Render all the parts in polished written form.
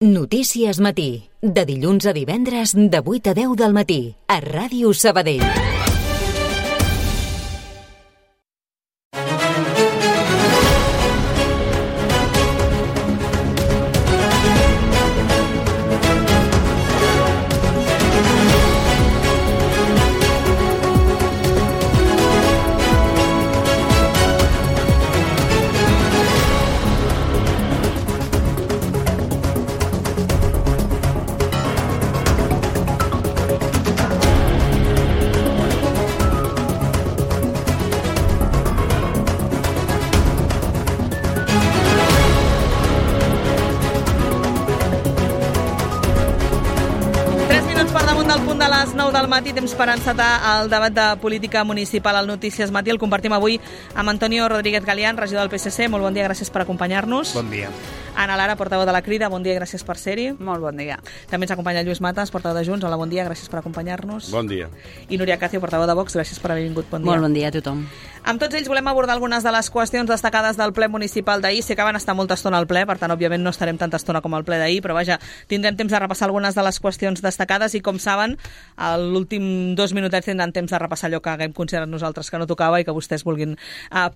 Notícies Matí, de dilluns a divendres de 8 a 10 del matí, a Ràdio Sabadell. Matí, temps per encetar el debat de política municipal al Notícies Matí. El compartim avui amb Antonio Rodríguez Galián, regidor del PSC. Molt bon dia, gràcies per acompanyar-nos. Bon dia. Ana Lara, portaveu de la Crida. Bon dia, gràcies per ser-hi. Molt bon dia. També ens acompanya Lluís Matas, portaveu de Junts. Hola, bon dia, gràcies per acompanyar-nos. Bon dia. I Núria Cacio, portaveu de Vox. Gràcies per haver vingut. Bon dia. Molt bon dia a tothom. Amb tots ells volem abordar algunes de les qüestions destacades del ple municipal d'ahir. Sé que van estar molta estona al ple, per tant, òbviament no estarem tanta estona com al ple d'ahir, però vaja, tindrem temps de repassar algunes de les qüestions destacades i, com saben, a l'últim 2 minutets tindran temps de repassar allò que haguem considerat nosaltres que no tocava i que vostès vulguin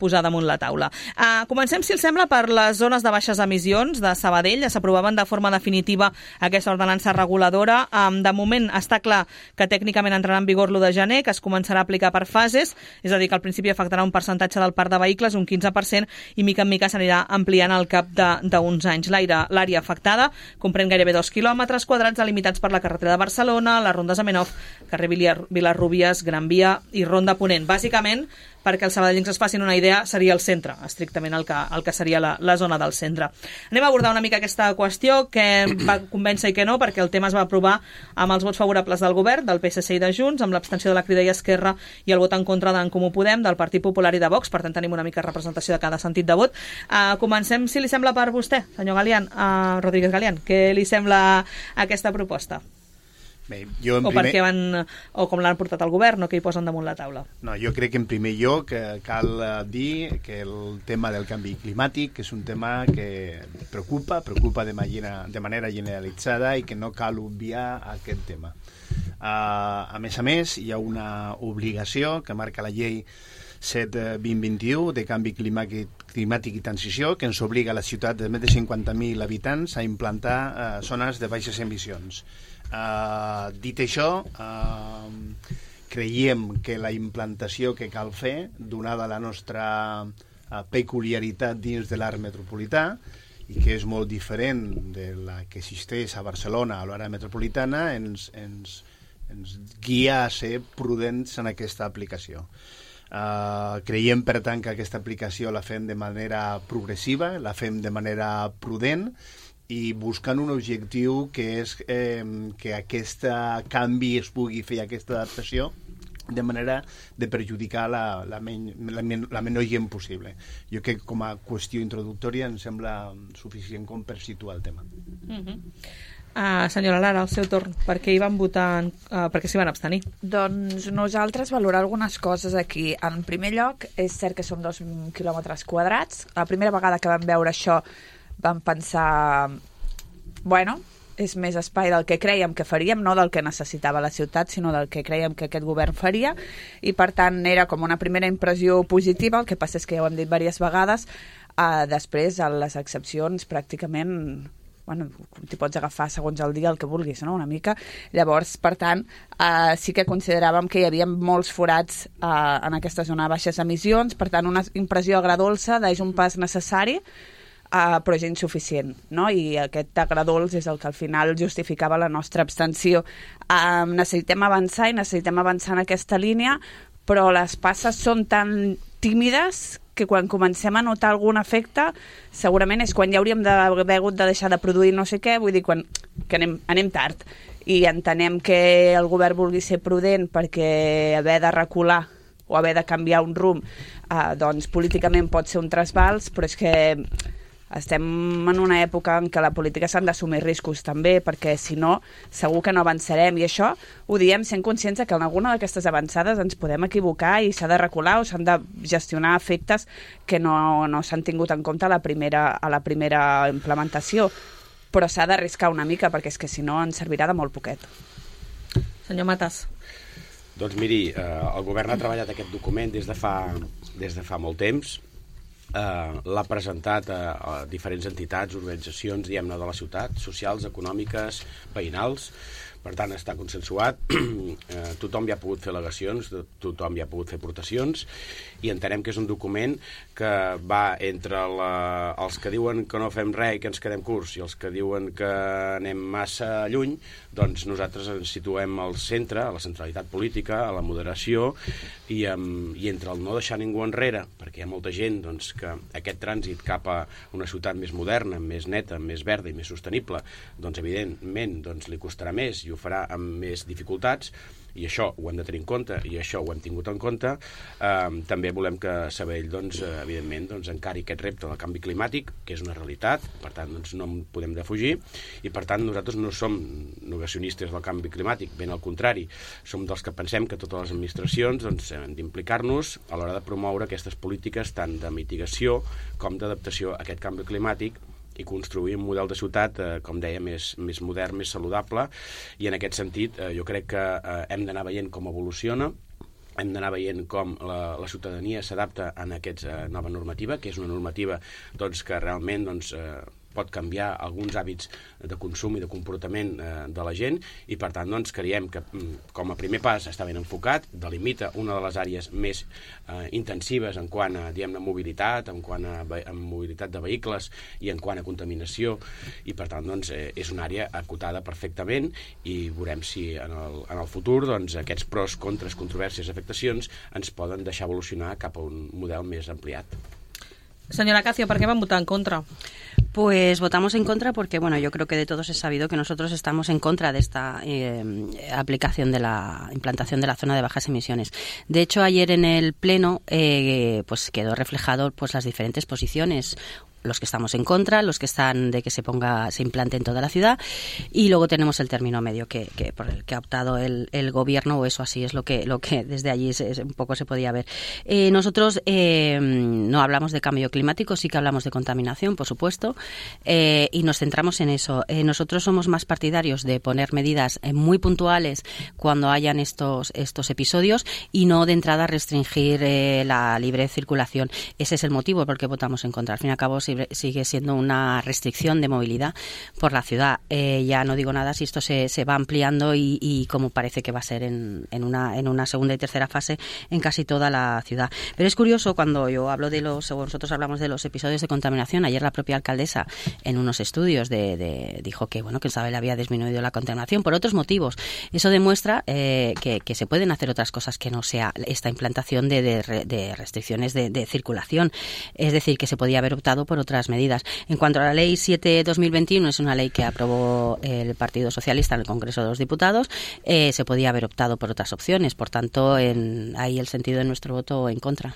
posar damunt la taula. Comencem, si els sembla, per les zones de baixes emissions de Sabadell. S'aprovaven de forma definitiva aquesta ordenança reguladora. De moment està clar que tècnicament entrarà en vigor l'1 de gener, que es començarà a aplicar per fases, és a dir, que al principi afectarà un percentatge del parc de vehicles, un 15%, i mica en mica s'anirà ampliant al cap d'uns anys. L'àrea afectada comprèn gairebé 2 quilòmetres quadrats delimitats per la carretera de Barcelona, les rondes Amenov, carrer Vilarrubies, Gran Via i Ronda Ponent. Bàsicament, perquè els sabadellencs es facin una idea, seria el centre, estrictament el que seria la zona del centre. Anem a abordar una mica aquesta qüestió, que va convèncer i que no, perquè el tema es va aprovar amb els vots favorables del govern, del PSC i de Junts, amb l'abstenció de la Crida i Esquerra i el vot en contra d'en Comú Podem, del Partit Popular i de Vox. Per tant, tenim una mica de representació de cada sentit de vot. Comencem, si li sembla, per vostè, senyor Galián, Rodríguez Galián. Què li sembla aquesta proposta? Bé, o com l'han portat al govern o què hi posen damunt la taula? No, jo crec que en primer lloc cal dir que el tema del canvi climàtic és un tema que preocupa de manera generalitzada i que no cal obviar aquest tema. A més, hi ha una obligació que marca la llei 7/2021 de canvi climàtic i transició, que ens obliga a la ciutat de més de 50.000 habitants a implantar zones de baixes emissions. Dit això, creiem que la implantació que cal fer, donada la nostra peculiaritat dins de l'art metropolità, i que és molt diferent de la que existeix a Barcelona, a l'àrea metropolitana, ens guia a ser prudents en aquesta aplicació. Creiem, per tant, que aquesta aplicació la fem de manera progressiva, la fem de manera prudent, i buscant un objectiu que és que aquest canvi es pugui fer, aquesta adaptació, de manera de perjudicar la menor gent possible. Jo crec que com a qüestió introductòria em sembla suficient com per situar el tema. Senyora Lara, al seu torn, per què hi van votar, per què s'hi van abstenir? Doncs nosaltres valorar algunes coses aquí. En primer lloc, és cert que són 2 quilòmetres quadrats. La primera vegada que vam veure això vam pensar, bueno, és més espai del que creiem que faríem, no del que necessitava la ciutat, sinó del que creiem que aquest govern faria, i per tant era com una primera impressió positiva. El que passa és que ja ho hem dit diverses vegades, després a les excepcions pràcticament, bueno, t'hi pots agafar segons el dia el que vulguis, no? Una mica. Llavors, per tant, sí que consideràvem que hi havia molts forats en aquesta zona de baixes emissions, per tant una impressió agradolça és un pas necessari, però és insuficient, no? I aquest agradolç és el que al final justificava la nostra abstenció. Necessitem avançar en aquesta línia, però les passes són tan tímides que quan comencem a notar algun efecte segurament és quan ja hauríem d'haver hagut de deixar de produir no sé què, vull dir, que anem tard, i entenem que el govern vulgui ser prudent perquè haver de recular o haver de canviar un rumb doncs políticament pot ser un trasbals, però és que estem en una època en què la política s'han d'assumir riscos també, perquè si no segur que no avançarem, i això ho diem sent conscients que en alguna d'aquestes avançades ens podem equivocar i s'ha de recular o s'han de gestionar efectes que no s'han tingut en compte a la primera implementació. però s'ha d'arriscar una mica, perquè és que si no ens servirà de molt poquet. Senyor Matas. Doncs miri, el govern ha treballat aquest document des de fa molt temps. L'ha presentat a diferents entitats, organitzacions, diguem-ne, de la ciutat, socials, econòmiques, veïnals. Per tant, està consensuat, tothom hi ha pogut fer al·legacions, tothom hi ha pogut fer aportacions, i entenem que és un document que va entre els que diuen que no fem res i que ens quedem curts i els que diuen que anem massa lluny. Doncs nosaltres ens situem al centre, a la centralitat política, a la moderació, i entre el no deixar ningú enrere, perquè hi ha molta gent doncs, que aquest trànsit cap a una ciutat més moderna, més neta, més verda i més sostenible, doncs evidentment doncs, li costarà més i ho farà amb més dificultats, i això ho hem de tenir en compte, i això ho hem tingut en compte. També volem que Sabadell, doncs, evidentment, doncs, encari aquest repte del canvi climàtic, que és una realitat, per tant, doncs, no en podem defugir, i per tant nosaltres no som negacionistes del canvi climàtic, ben al contrari, som dels que pensem que totes les administracions doncs, hem d'implicar-nos a l'hora de promoure aquestes polítiques tant de mitigació com d'adaptació a aquest canvi climàtic, i construir un model de ciutat, com deia, més modern, més saludable, i en aquest sentit jo crec que hem d'anar veient com evoluciona, hem d'anar veient com la ciutadania s'adapta a aquesta nova normativa, que és una normativa doncs, que realment doncs, pot canviar alguns hàbits de consum i de comportament de la gent, i per tant doncs, creiem que com a primer pas està ben enfocat, delimita una de les àrees més intensives en quant a mobilitat, en quant a mobilitat de vehicles i en quant a contaminació, i per tant doncs, és una àrea acotada perfectament, i veurem si en el futur doncs, aquests pros, contres, controvèrsies, afectacions ens poden deixar evolucionar cap a un model més ampliat. Señora Cacio, ¿por qué van a votar en contra? Pues votamos en contra porque, bueno, yo creo que de todos es sabido que nosotros estamos en contra de esta aplicación de la implantación de la zona de bajas emisiones. De hecho, ayer en el Pleno pues quedó reflejado pues las diferentes posiciones. Los que estamos en contra, los que están de que se implante en toda la ciudad, y luego tenemos el término medio que por el que ha optado el gobierno, o eso así es lo que desde allí un poco se podía ver. Nosotros no hablamos de cambio climático, sí que hablamos de contaminación, por supuesto, y nos centramos en eso. Nosotros somos más partidarios de poner medidas muy puntuales cuando hayan estos episodios, y no de entrada restringir la libre circulación. Ese es el motivo por el que votamos en contra. Al fin y al cabo sigue siendo una restricción de movilidad por la ciudad. Ya no digo nada si esto se va ampliando y como parece que va a ser en una segunda y tercera fase en casi toda la ciudad. Pero es curioso cuando yo hablo nosotros hablamos de los episodios de contaminación. Ayer la propia alcaldesa en unos estudios dijo que bueno, que en Sabadell había disminuido la contaminación por otros motivos. Eso demuestra que se pueden hacer otras cosas que no sea esta implantación de restricciones de circulación. Es decir, que se podía haber optado por otras medidas. En cuanto a la Ley 7/2021, es una ley que aprobó el Partido Socialista en el Congreso de los Diputados. Se podía haber optado por otras opciones. Por tanto, ahí el sentido de nuestro voto en contra.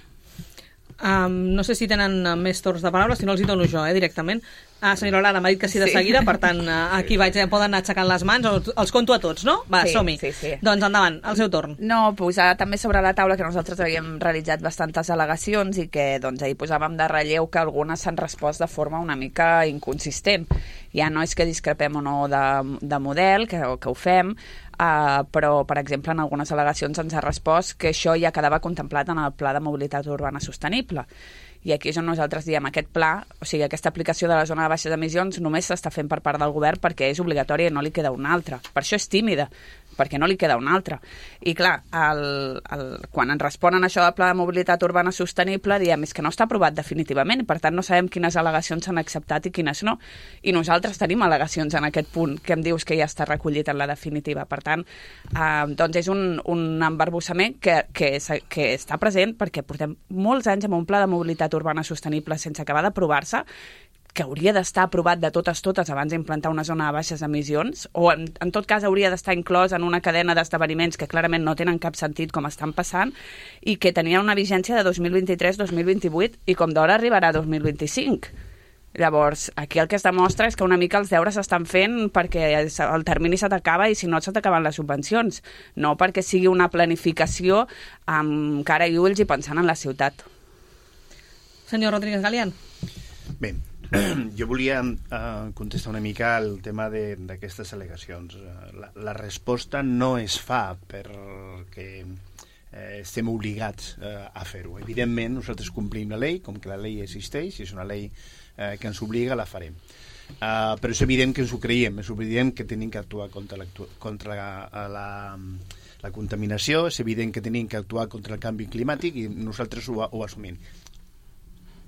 No sé si tenen més torns de paraula, si no els hi dono jo directament. Senyora Lara, m'ha dit que sí de seguida, per tant, aquí poden anar aixecant les mans, o els conto a tots, no? Va, som-hi. Sí. Doncs endavant, el seu torn. No, posar també sobre la taula que nosaltres havíem realitzat bastantes al·legacions i que doncs, ahir posàvem de relleu que algunes s'han respost de forma una mica inconsistent. Ja no és que discrepem o no de model, que ho fem, però, per exemple, en algunes al·legacions ens ha respost que això ja quedava contemplat en el Pla de Mobilitat Urbana Sostenible. I aquí és on nosaltres diem aquest pla, o sigui, aquesta aplicació de la zona de baixes emissions només s'està fent per part del govern perquè és obligatòria i no li queda una altra. Per això és tímida, perquè no li queda una altra. I clar, quan ens responen això del Pla de Mobilitat Urbana Sostenible, diem és que no està aprovat definitivament, per tant no sabem quines al·legacions s'han acceptat i quines no. I nosaltres tenim al·legacions en aquest punt que em dius que ja està recollit en la definitiva. Per tant, doncs és un embarbussament que està present perquè portem molts anys amb un Pla de Mobilitat Urbana Sostenible sense acabar d'aprovar-se, que hauria d'estar aprovat de totes abans d'implantar una zona de baixes emissions, o en tot cas hauria d'estar inclòs en una cadena d'esdeveniments que clarament no tenen cap sentit com estan passant, i que tenia una vigència de 2023-2028 i com d'hora arribarà a 2025. Llavors, aquí el que es demostra és que una mica els deures s'estan fent perquè el termini se t'acaba i si no se t'acaben les subvencions, no perquè sigui una planificació amb cara i ulls i pensant en la ciutat. Senyor Rodríguez Galián. Bé, Jo volia contestar una mica el tema d'aquestes al·legacions. La resposta no es fa perquè estem obligats a fer-ho. Evidentment, nosaltres complim la llei, com que la llei existeix, és una llei que ens obliga, la farem. Però és evident que ens ho creiem, és evident que tenim que actuar contra la contaminació, és evident que tenim que actuar contra el canvi climàtic i nosaltres ho assumim.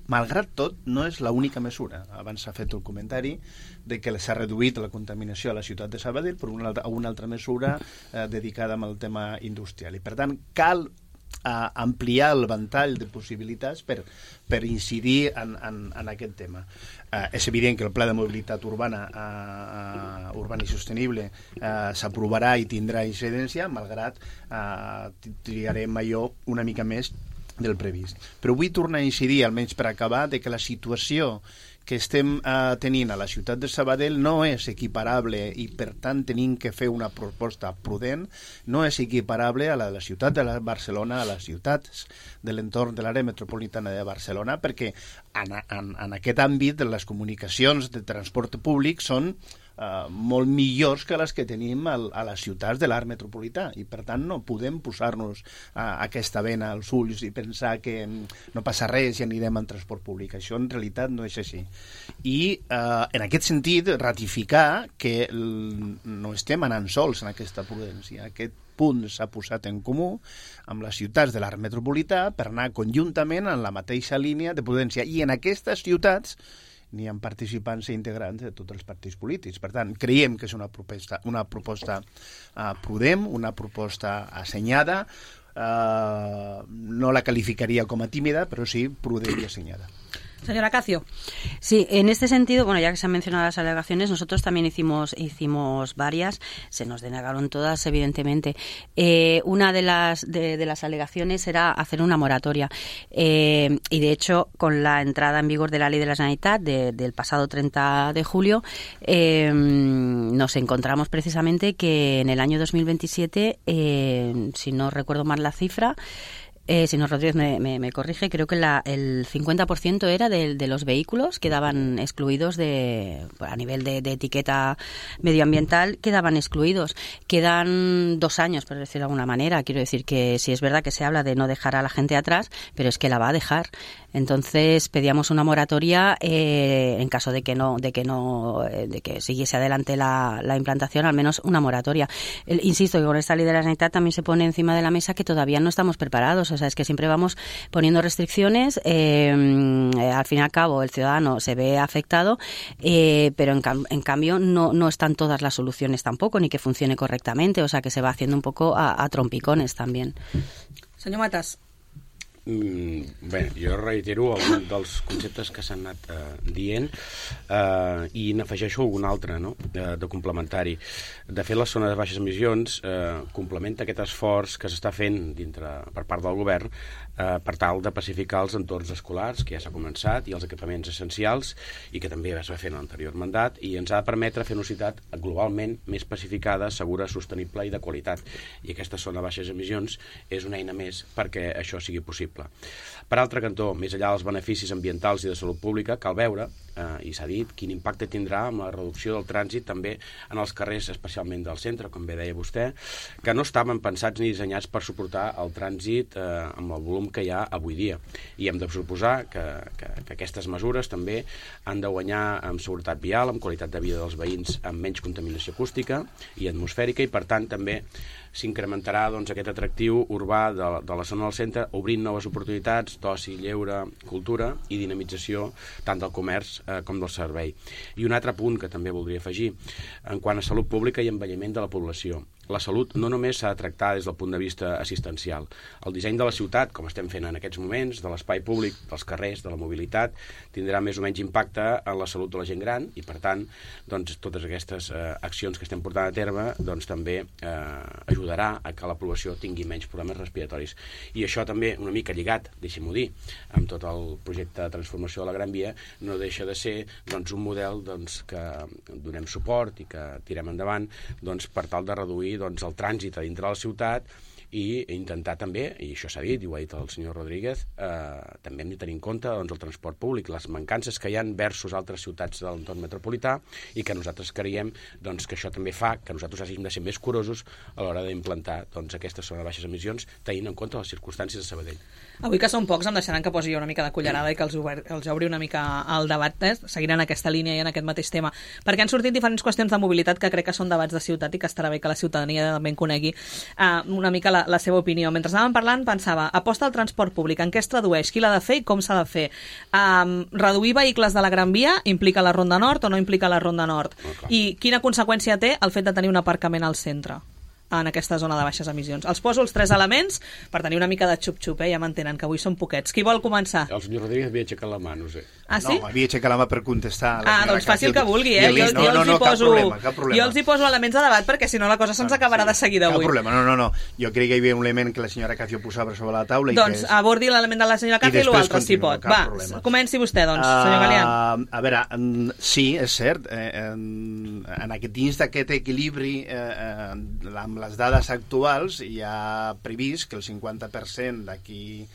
Malgrat tot, no és l'única mesura. Abans s'ha fet el comentari de que s'ha reduït la contaminació a la ciutat de Sabadell per una altra mesura dedicada al tema industrial. I, per tant, cal ampliar el ventall de possibilitats per incidir en aquest tema. És evident que el Pla de Mobilitat Urbana i Sostenible s'aprovarà i tindrà incidència, malgrat trigarem allò una mica més del previst. Però vull tornar a incidir, almenys per acabar, de que la situació que estem tenint a la ciutat de Sabadell no és equiparable i, per tant, tenim que fer una proposta prudent, no és equiparable a la ciutat de Barcelona, a les ciutats de l'entorn de l'àrea metropolitana de Barcelona, perquè en aquest àmbit les comunicacions de transport públic són molt millors que les que tenim a les ciutats de l'art metropolità i, per tant, no podem posar-nos aquesta vena als ulls i pensar que no passa res i anirem en transport públic. Això en realitat no és així. I en aquest sentit ratificar que no estem anant sols en aquesta prudència. Aquest punt s'ha posat en comú amb les ciutats de l'art metropolità per anar conjuntament en la mateixa línia de prudència. I en aquestes ciutats n'hi ha participants i integrants de tots els partits polítics. Per tant, creiem que és una proposta prudent, una proposta assenyada, no la calificaria com a tímida, però sí prudent i assenyada. Señora Cacio. Sí, en este sentido, bueno, ya que se han mencionado las alegaciones, nosotros también hicimos varias, se nos denegaron todas, evidentemente. Una de las alegaciones era hacer una moratoria. Y de hecho, con la entrada en vigor de la Ley de la Generalitat del pasado 30 de julio, nos encontramos precisamente que en el año 2027, si no recuerdo mal la cifra, si no, Rodríguez me corrige, creo que el 50% era de los vehículos quedaban excluidos a nivel de etiqueta medioambiental, quedaban excluidos. Quedan 2 años, por decirlo de alguna manera. Quiero decir que sí es verdad que se habla de no dejar a la gente atrás, pero es que la va a dejar. Entonces pedíamos una moratoria en caso de que siguiese adelante la implantación, al menos una moratoria. Insisto que con esta Ley de la Generalitat también se pone encima de la mesa que todavía no estamos preparados. O sea, es que siempre vamos poniendo restricciones. Al fin y al cabo el ciudadano se ve afectado, pero en cambio no están todas las soluciones tampoco, ni que funcione correctamente. O sea, que se va haciendo un poco a trompicones también. Senyor Matas. Bé, jo reitero algun dels conceptes que s'han anat dient i n'afegeixo algun altre, no? De complementari. De fet, la zona de baixes emissions complementa aquest esforç que s'està fent per part del govern per tal de pacificar els entorns escolars, que ja s'ha començat, i els equipaments essencials, i que també es va fer en l'anterior mandat, i ens ha de permetre fer una ciutat globalment més pacificada, segura, sostenible i de qualitat. I aquesta zona de baixes emissions és una eina més perquè això sigui possible. Per altre cantó, més enllà dels beneficis ambientals i de salut pública, cal veure, i s'ha dit, quin impacte tindrà amb la reducció del trànsit també en els carrers, especialment del centre, com bé deia vostè, que no estaven pensats ni dissenyats per suportar el trànsit amb el volum que hi ha avui dia. I hem de suposar que aquestes mesures també han de guanyar amb seguretat vial, amb qualitat de vida dels veïns, amb menys contaminació acústica i atmosfèrica, i per tant també s'incrementarà aquest atractiu urbà de la zona del centre, obrint noves oportunitats d'oci, lleure, cultura i dinamització tant del comerç com del servei. I un altre punt que també voldria afegir, en quant a salut pública i envelliment de la població. La salut no només s'ha de tractar des del punt de vista assistencial. El disseny de la ciutat, com estem fent en aquests moments, de l'espai públic, dels carrers, de la mobilitat, tindrà més o menys impacte en la salut de la gent gran i, per tant, totes aquestes accions que estem portant a terme també ajudarà a que la població tingui menys problemes respiratoris. I això també, una mica lligat, deixem-ho dir, amb tot el projecte de transformació de la Gran Via, no deixa de ser un model que donem suport i que tirem endavant per tal de reduir el trànsit a dintre de la ciutat i intentar també, i això s'ha dit, i ho ha dit el senyor Rodríguez, també hem de tenir en compte doncs, el transport públic, les mancances que hi ha versus altres ciutats de l'entorn metropolità, i que nosaltres creiem doncs, que això també fa que nosaltres hàgim de ser més curosos a l'hora d'implantar doncs, aquesta zona de baixes emissions, tenint en compte les circumstàncies de Sabadell. Avui que són pocs em deixaran que posi jo una mica de cullerada i que els obri una mica el debat, seguint en aquesta línia i en aquest mateix tema, perquè han sortit diferents qüestions de mobilitat que crec que són debats de ciutat i que estarà bé que la ciutadania també en conegui una mica la seva opinió. Mentre anàvem parlant pensava, aposta al transport públic, en què es tradueix, qui l'ha de fer i com s'ha de fer? Reduir vehicles de la Gran Via implica la Ronda Nord o no implica la Ronda Nord? I quina conseqüència té el fet de tenir un aparcament al centre en aquesta zona de baixes emissions? Els poso els 3 elements per tenir una mica de xup-xup, ja m'entenen, que avui són poquets. Qui vol començar? El senyor Rodríguez havia aixecat la mà, no sé. Ah, sí? No, havia aixecat la mà per contestar. Doncs faci el que vulgui, cap problema. Jo els hi poso elements de debat perquè si no la cosa se'ns acabarà de seguida avui. Cap problema, no. Jo crec que hi havia un element que la senyora Cacio posava sobre la taula. Doncs abordi l'element de la senyora Cacio i l'altre si pot. Va, comenci vostè, doncs, senyor Galián. A veure, sí, és cert, dins d'aquest equilibri amb les dades actuals hi ha previst que el 50% d'aquí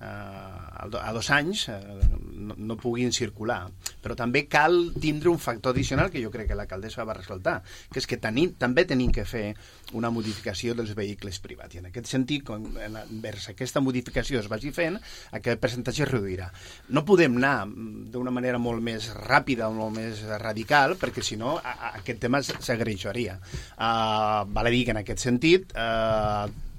a 2 anys no puguin circular, però també cal tindre un factor addicional que jo crec que l'alcaldessa va ressaltar, que és que també tenim que fer una modificació dels vehicles privats, i en aquest sentit, vers aquesta modificació es vagi fent, aquest percentatge es reduirà. No podem anar d'una manera molt més ràpida o molt més radical, perquè si no aquest tema s'agreujaria. Val a dir que en aquest sentit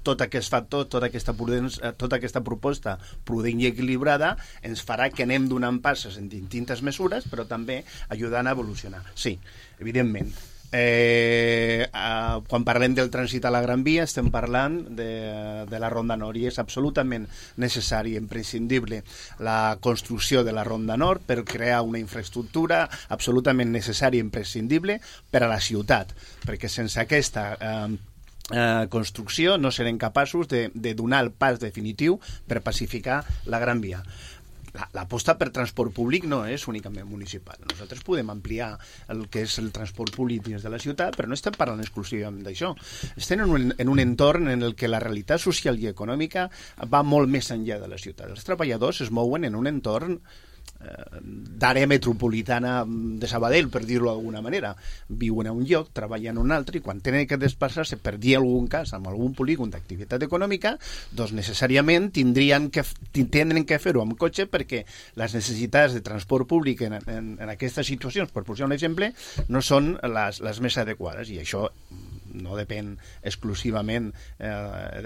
tot aquest factor, tota aquesta proposta prudent i equilibrada ens farà que anem donant passes en distintes mesures, però també ajudant a evolucionar. Sí, evidentment. Quan parlem del trànsit a la Gran Via estem parlant de la Ronda Nord i és absolutament necessari i imprescindible la construcció de la Ronda Nord per crear una infraestructura absolutament necessària i imprescindible per a la ciutat, perquè sense aquesta construcció no serem capaços de donar el pas definitiu per pacificar la Gran Via. L'aposta per transport públic no és únicament municipal. Nosaltres podem ampliar el que és el transport públic dins de la ciutat, però no estem parlant exclusivament d'això. Estem en un entorn en el que la realitat social i econòmica va molt més enllà de la ciutat. Els treballadors es mouen en un entorn d'àrea metropolitana de Sabadell, per dir-ho d'alguna manera. Viuen a un lloc, treballen a un altre, i quan tenen que desplaçar-se, per dir algun cas, amb algun polígon d'activitat econòmica, doncs necessàriament tindrien que fer-ho amb cotxe, perquè les necessitats de transport públic en aquestes situacions, per posar un exemple, no són les més adequades, i això no depèn exclusivament,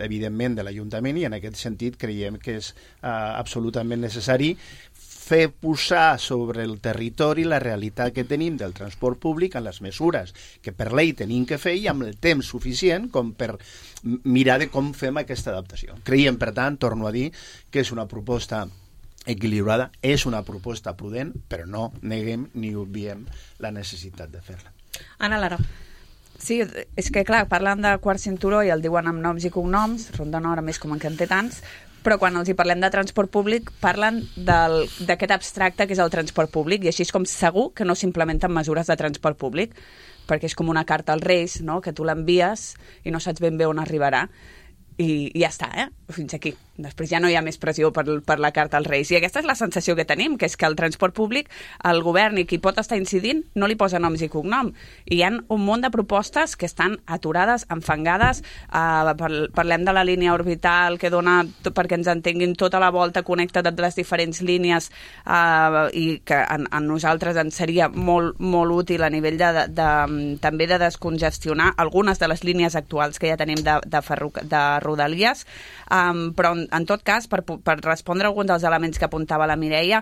evidentment, de l'Ajuntament, i en aquest sentit creiem que és absolutament necessari fer posar sobre el territori la realitat que tenim del transport públic en les mesures que per llei tenim que fer i amb el temps suficient com per mirar de com fem aquesta adaptació. Creiem, per tant, torno a dir, que és una proposta equilibrada, és una proposta prudent, però no neguem ni obviem la necessitat de fer-la. Anna Lara. Sí, és que clar, parlen de quart cinturó i el diuen amb noms i cognoms, Ronda Nord, a més com que en té tants, però quan els hi parlem de transport públic parlen d'aquest abstracte que és el transport públic, i així és com segur que no s'implementen mesures de transport públic, perquè és com una carta als Reis, no?, que tu l'envies i no saps ben bé on arribarà, i ja està, fins aquí. Després ja no hi ha més pressió per la carta als Reis. I aquesta és la sensació que tenim, que és que el transport públic, el govern i qui pot estar incidint, no li posa noms i cognom. I hi ha un munt de propostes que estan aturades, enfangades. Parlem de la línia orbital que dona, perquè ens entenguin, tota la volta connecta de les diferents línies, i que a nosaltres ens seria molt, molt útil a nivell també de descongestionar algunes de les línies actuals que ja tenim de Rodalies, però en tot cas, per respondre a alguns dels elements que apuntava la Mireia,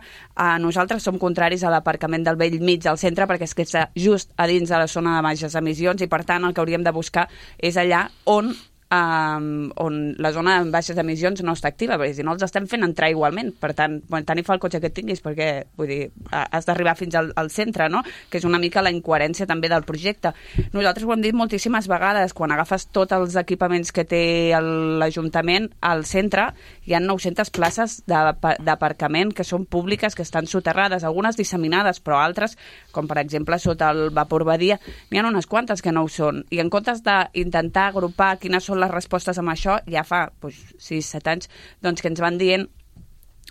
nosaltres som contraris a l'aparcament del vell mig del centre perquè és que està just a dins de la zona de baixes emissions i per tant el que hauríem de buscar és allà on la zona de baixes emissions no està activa, perquè si no els estem fent entrar igualment. Per tant, tant hi fa el cotxe que et tinguis, perquè vull dir, has d'arribar fins al centre, no?, que és una mica la incoherència també del projecte. Nosaltres ho hem dit moltíssimes vegades, quan agafes tots els equipaments que té l'Ajuntament al centre, hi ha 900 places d'aparcament que són públiques, que estan soterrades, algunes disseminades, però altres, com per exemple sota el Vapor Badia, n'hi ha unes quantes que no ho són. I en comptes d'intentar agrupar quines són les respostes amb això ja fa 6-7 anys, doncs que ens van dient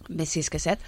més 6 que 7,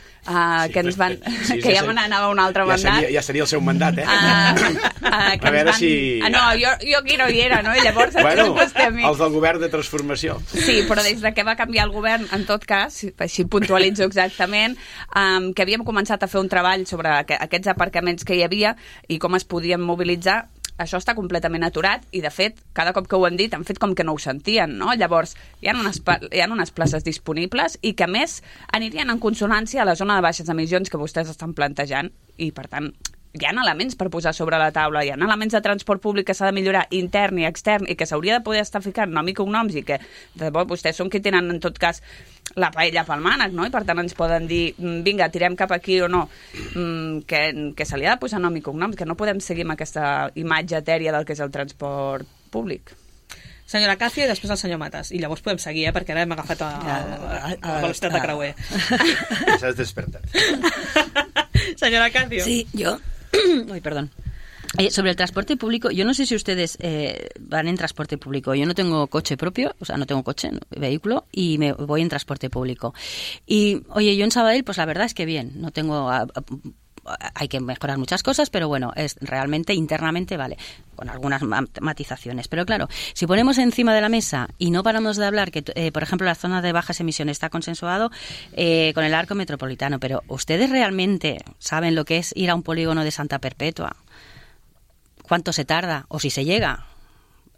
que ens van... que ja me n'anava un altre mandat. Ja seria el seu mandat, A veure si... No, jo aquí no hi era, no? I llavors els del govern de transformació. Sí, però des de que va canviar el govern, en tot cas, així puntualitzo exactament, que havíem començat a fer un treball sobre aquests aparcaments que hi havia i com es podien mobilitzar. Això està completament aturat i, de fet, cada cop que ho hem dit han fet com que no ho sentien, no? Llavors, hi ha unes places disponibles i que, a més, anirien en consonància a la zona de baixes emissions que vostès estan plantejant i, per tant, hi ha elements per posar sobre la taula, hi ha elements de transport públic que s'ha de millorar intern i extern i que s'hauria de poder estar ficant nom i cognoms i que, de debò, vostès són qui tenen, en tot cas, la paella pel mànec, no? I per tant ens poden dir, vinga, tirem cap aquí o no, que se li ha de posar nom i cognoms, que no podem seguir amb aquesta imatge etèria del que és el transport públic. Senyora Càcio i després el senyor Matas. I llavors podem seguir, perquè ara hem agafat la velocitat de creuer. S'has despertat. Senyora Càcio. Sí, yo... Uy, perdón. Sobre el transporte público, yo no sé si ustedes van en transporte público. Yo no tengo coche propio, o sea, no tengo coche, vehículo, y me voy en transporte público. Y, oye, yo en Sabadell, pues la verdad es que bien, no tengo... hay que mejorar muchas cosas, pero bueno, es realmente internamente vale, con algunas matizaciones. Pero claro, si ponemos encima de la mesa y no paramos de hablar que, por ejemplo, la zona de bajas emisiones está consensuado con el arco metropolitano, pero ¿ustedes realmente saben lo que es ir a un polígono de Santa Perpetua? ¿Cuánto se tarda? ¿O si se llega?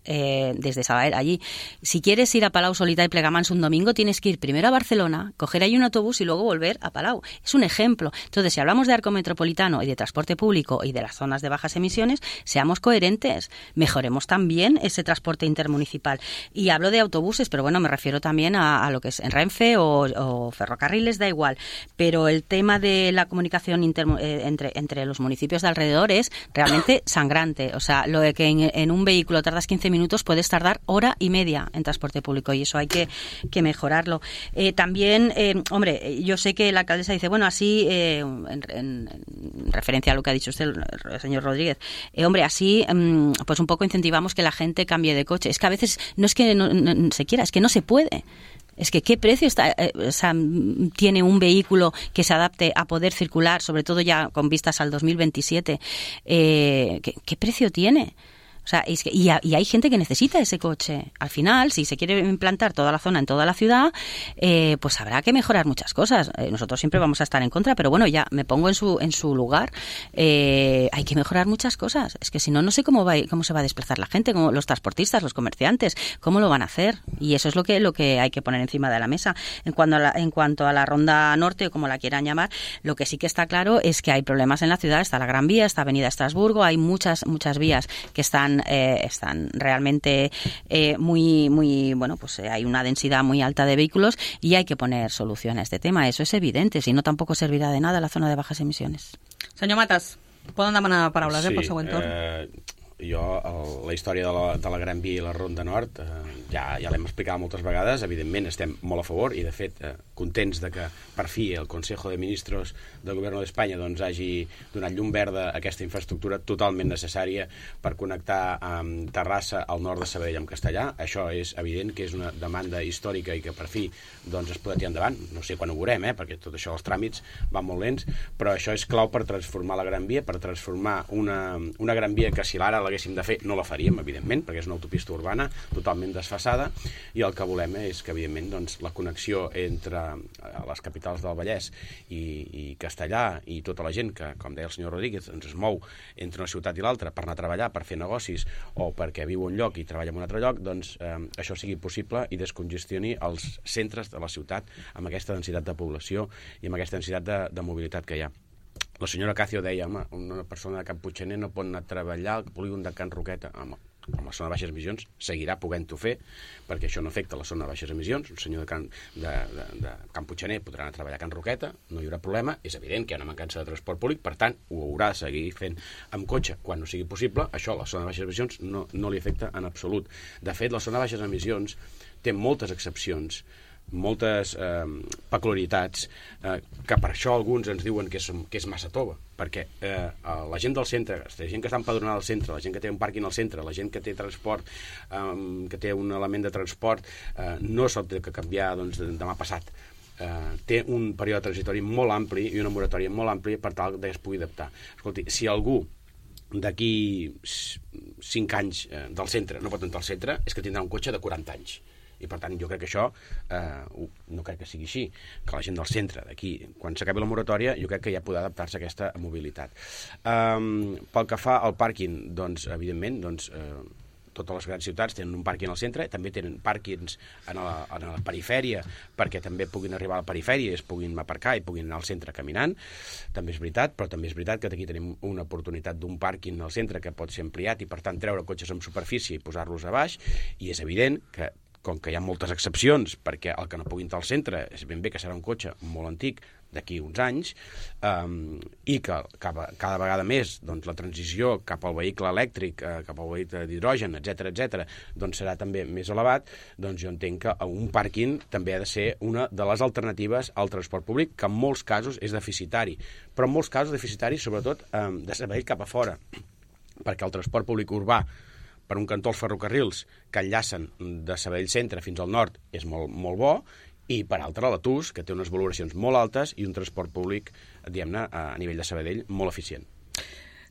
Desde Sabadell allí. Si quieres ir a Palau Solità y Plegamans un domingo, tienes que ir primero a Barcelona, coger ahí un autobús y luego volver a Palau. Es un ejemplo. Entonces, si hablamos de arco metropolitano y de transporte público y de las zonas de bajas emisiones, seamos coherentes. Mejoremos también ese transporte intermunicipal. Y hablo de autobuses, pero bueno, me refiero también a lo que es en Renfe o ferrocarriles, da igual. Pero el tema de la comunicación entre los municipios de alrededor es realmente sangrante. O sea, lo de que en un vehículo tardas 15 minutos, puedes tardar hora y media en transporte público y eso hay que mejorarlo. También, hombre, yo sé que la alcaldesa dice, bueno, así, en referencia a lo que ha dicho usted, el señor Rodríguez, hombre, así, pues un poco incentivamos que la gente cambie de coche. Es que a veces no es que no se quiera, es que no se puede. Es que ¿qué precio tiene un vehículo que se adapte a poder circular, sobre todo ya con vistas al 2027? ¿Qué precio tiene? O sea, y hay gente que necesita ese coche. Al final, si se quiere implantar toda la zona en toda la ciudad, pues habrá que mejorar muchas cosas. Nosotros siempre vamos a estar en contra, pero bueno, ya me pongo en su lugar. Hay que mejorar muchas cosas. Es que si no, no sé cómo se va a desplazar la gente, como los transportistas, los comerciantes, cómo lo van a hacer. Y eso es lo que hay que poner encima de la mesa. En cuanto a la Ronda Norte, o como la quieran llamar, lo que sí que está claro es que hay problemas en la ciudad. Está la Gran Vía, está Avenida Estrasburgo, hay muchas vías que están realmente muy bueno, pues hay una densidad muy alta de vehículos y hay que poner solución a este tema. Eso es evidente, si no tampoco servirá de nada la zona de bajas emisiones. Senyor Matas, poden demanar paraules pel següent torn? La història de la Gran Via i la Ronda Nord ja l'hem explicat moltes vegades. Evidentment estem molt a favor i de fet contents de que per fi el Consejo de Ministros del Govern d'Espanya doncs hagi donat llum verda a aquesta infraestructura totalment necessària per connectar amb Terrassa al nord de Sabadell amb Castellà. Això és evident que és una demanda històrica i que per fi doncs es podrà tirar endavant. No sé quan ho veurem, perquè tot això, els tràmits van molt lents, però això és clau per transformar la Gran Via, per transformar una Gran Via que si l'ara l'haguéssim de fer no la faríem, evidentment, perquè és una autopista urbana totalment desfasada, i el que volem és que, evidentment, doncs, la connexió entre les capitals del Vallès i Castellà i tota la gent que, com deia el senyor Rodríguez, ens es mou entre una ciutat i l'altra per anar a treballar, per fer negocis o perquè viu un lloc i treballa en un altre lloc, doncs això sigui possible i descongestioni els centres de la ciutat amb aquesta densitat de població i amb aquesta densitat de mobilitat que hi ha. La senyora Càcio deia, home, una persona de Can Puiggener no pot anar a treballar al polígon de Can Roqueta. Home, amb la zona de baixes emissions seguirà podent-ho fer, perquè això no afecta la zona de baixes emissions. Un senyor de Can Puiggener podrà anar a treballar a Can Roqueta, no hi haurà problema. És evident que hi ha una mancança de transport públic, per tant, ho haurà de seguir fent amb cotxe quan no sigui possible. Això a la zona de baixes emissions no li afecta en absolut. De fet, la zona de baixes emissions té moltes excepcions moltes peculiaritats que per això alguns ens diuen que és massa tova, perquè la gent del centre, la gent que està empadronada al centre, la gent que té un pàrquing al centre, la gent que té transport, que té un element de transport, no s'ha de canviar demà passat. Té un període transitori molt ampli i una moratòria molt àmplia per tal que es pugui adaptar. Escolti, si algú d'aquí 5 anys del centre no pot entrar al centre, és que tindrà un cotxe de 40 anys. I per tant jo crec que això no crec que sigui així, que la gent del centre d'aquí, quan s'acabi la moratòria, jo crec que ja podrà adaptar-se a aquesta mobilitat. Pel que fa al pàrquing, doncs evidentment totes les grans ciutats tenen un pàrquing al centre, també tenen pàrquings a la perifèria, perquè també puguin arribar a la perifèria i es puguin aparcar i puguin anar al centre caminant. També és veritat, però també és veritat que aquí tenim una oportunitat d'un pàrquing al centre que pot ser ampliat i per tant treure cotxes en superfície i posar-los a baix, i és evident que com que hi ha moltes excepcions, perquè el que no pugui entrar al centre és ben bé que serà un cotxe molt antic d'aquí uns anys, i que cada vegada més la transició cap al vehicle elèctric, cap al vehicle d'hidrogen, etc, doncs serà també més elevat, doncs jo entenc que un pàrquing també ha de ser una de les alternatives al transport públic, que en molts casos és deficitari, però en molts casos deficitari sobretot de Sabadell cap a fora, perquè el transport públic urbà per un cantó els ferrocarrils que enllacen de Sabadell Centre fins al nord és molt, molt bo, i per altra la TUS, que té unes valoracions molt altes i un transport públic, diguem-ne, a nivell de Sabadell, molt eficient.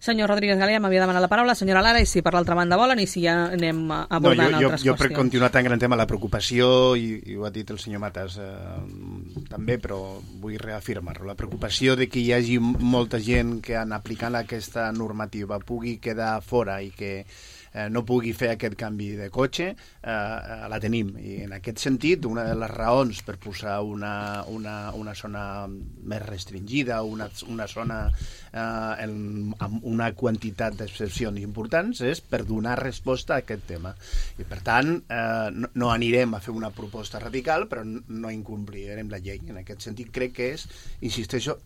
Senyor Rodríguez Galea, m'havia demanat la paraula, senyora Lara, i si per l'altra banda volen, i si ja anem abordant altres qüestions. Jo per continuar tan gran tema, la preocupació, i ho ha dit el senyor Matas també, però vull reafirmar-ho, la preocupació de que hi hagi molta gent que en aplicant aquesta normativa pugui quedar fora i que no pugui fer aquest canvi de cotxe, la tenim. I en aquest sentit, una de les raons per posar una zona més restringida, una zona amb una quantitat d'excepcions importants, és per donar resposta a aquest tema. I per tant, no anirem a fer una proposta radical, però no incomplirem la llei. En aquest sentit, crec que és, insisteixo,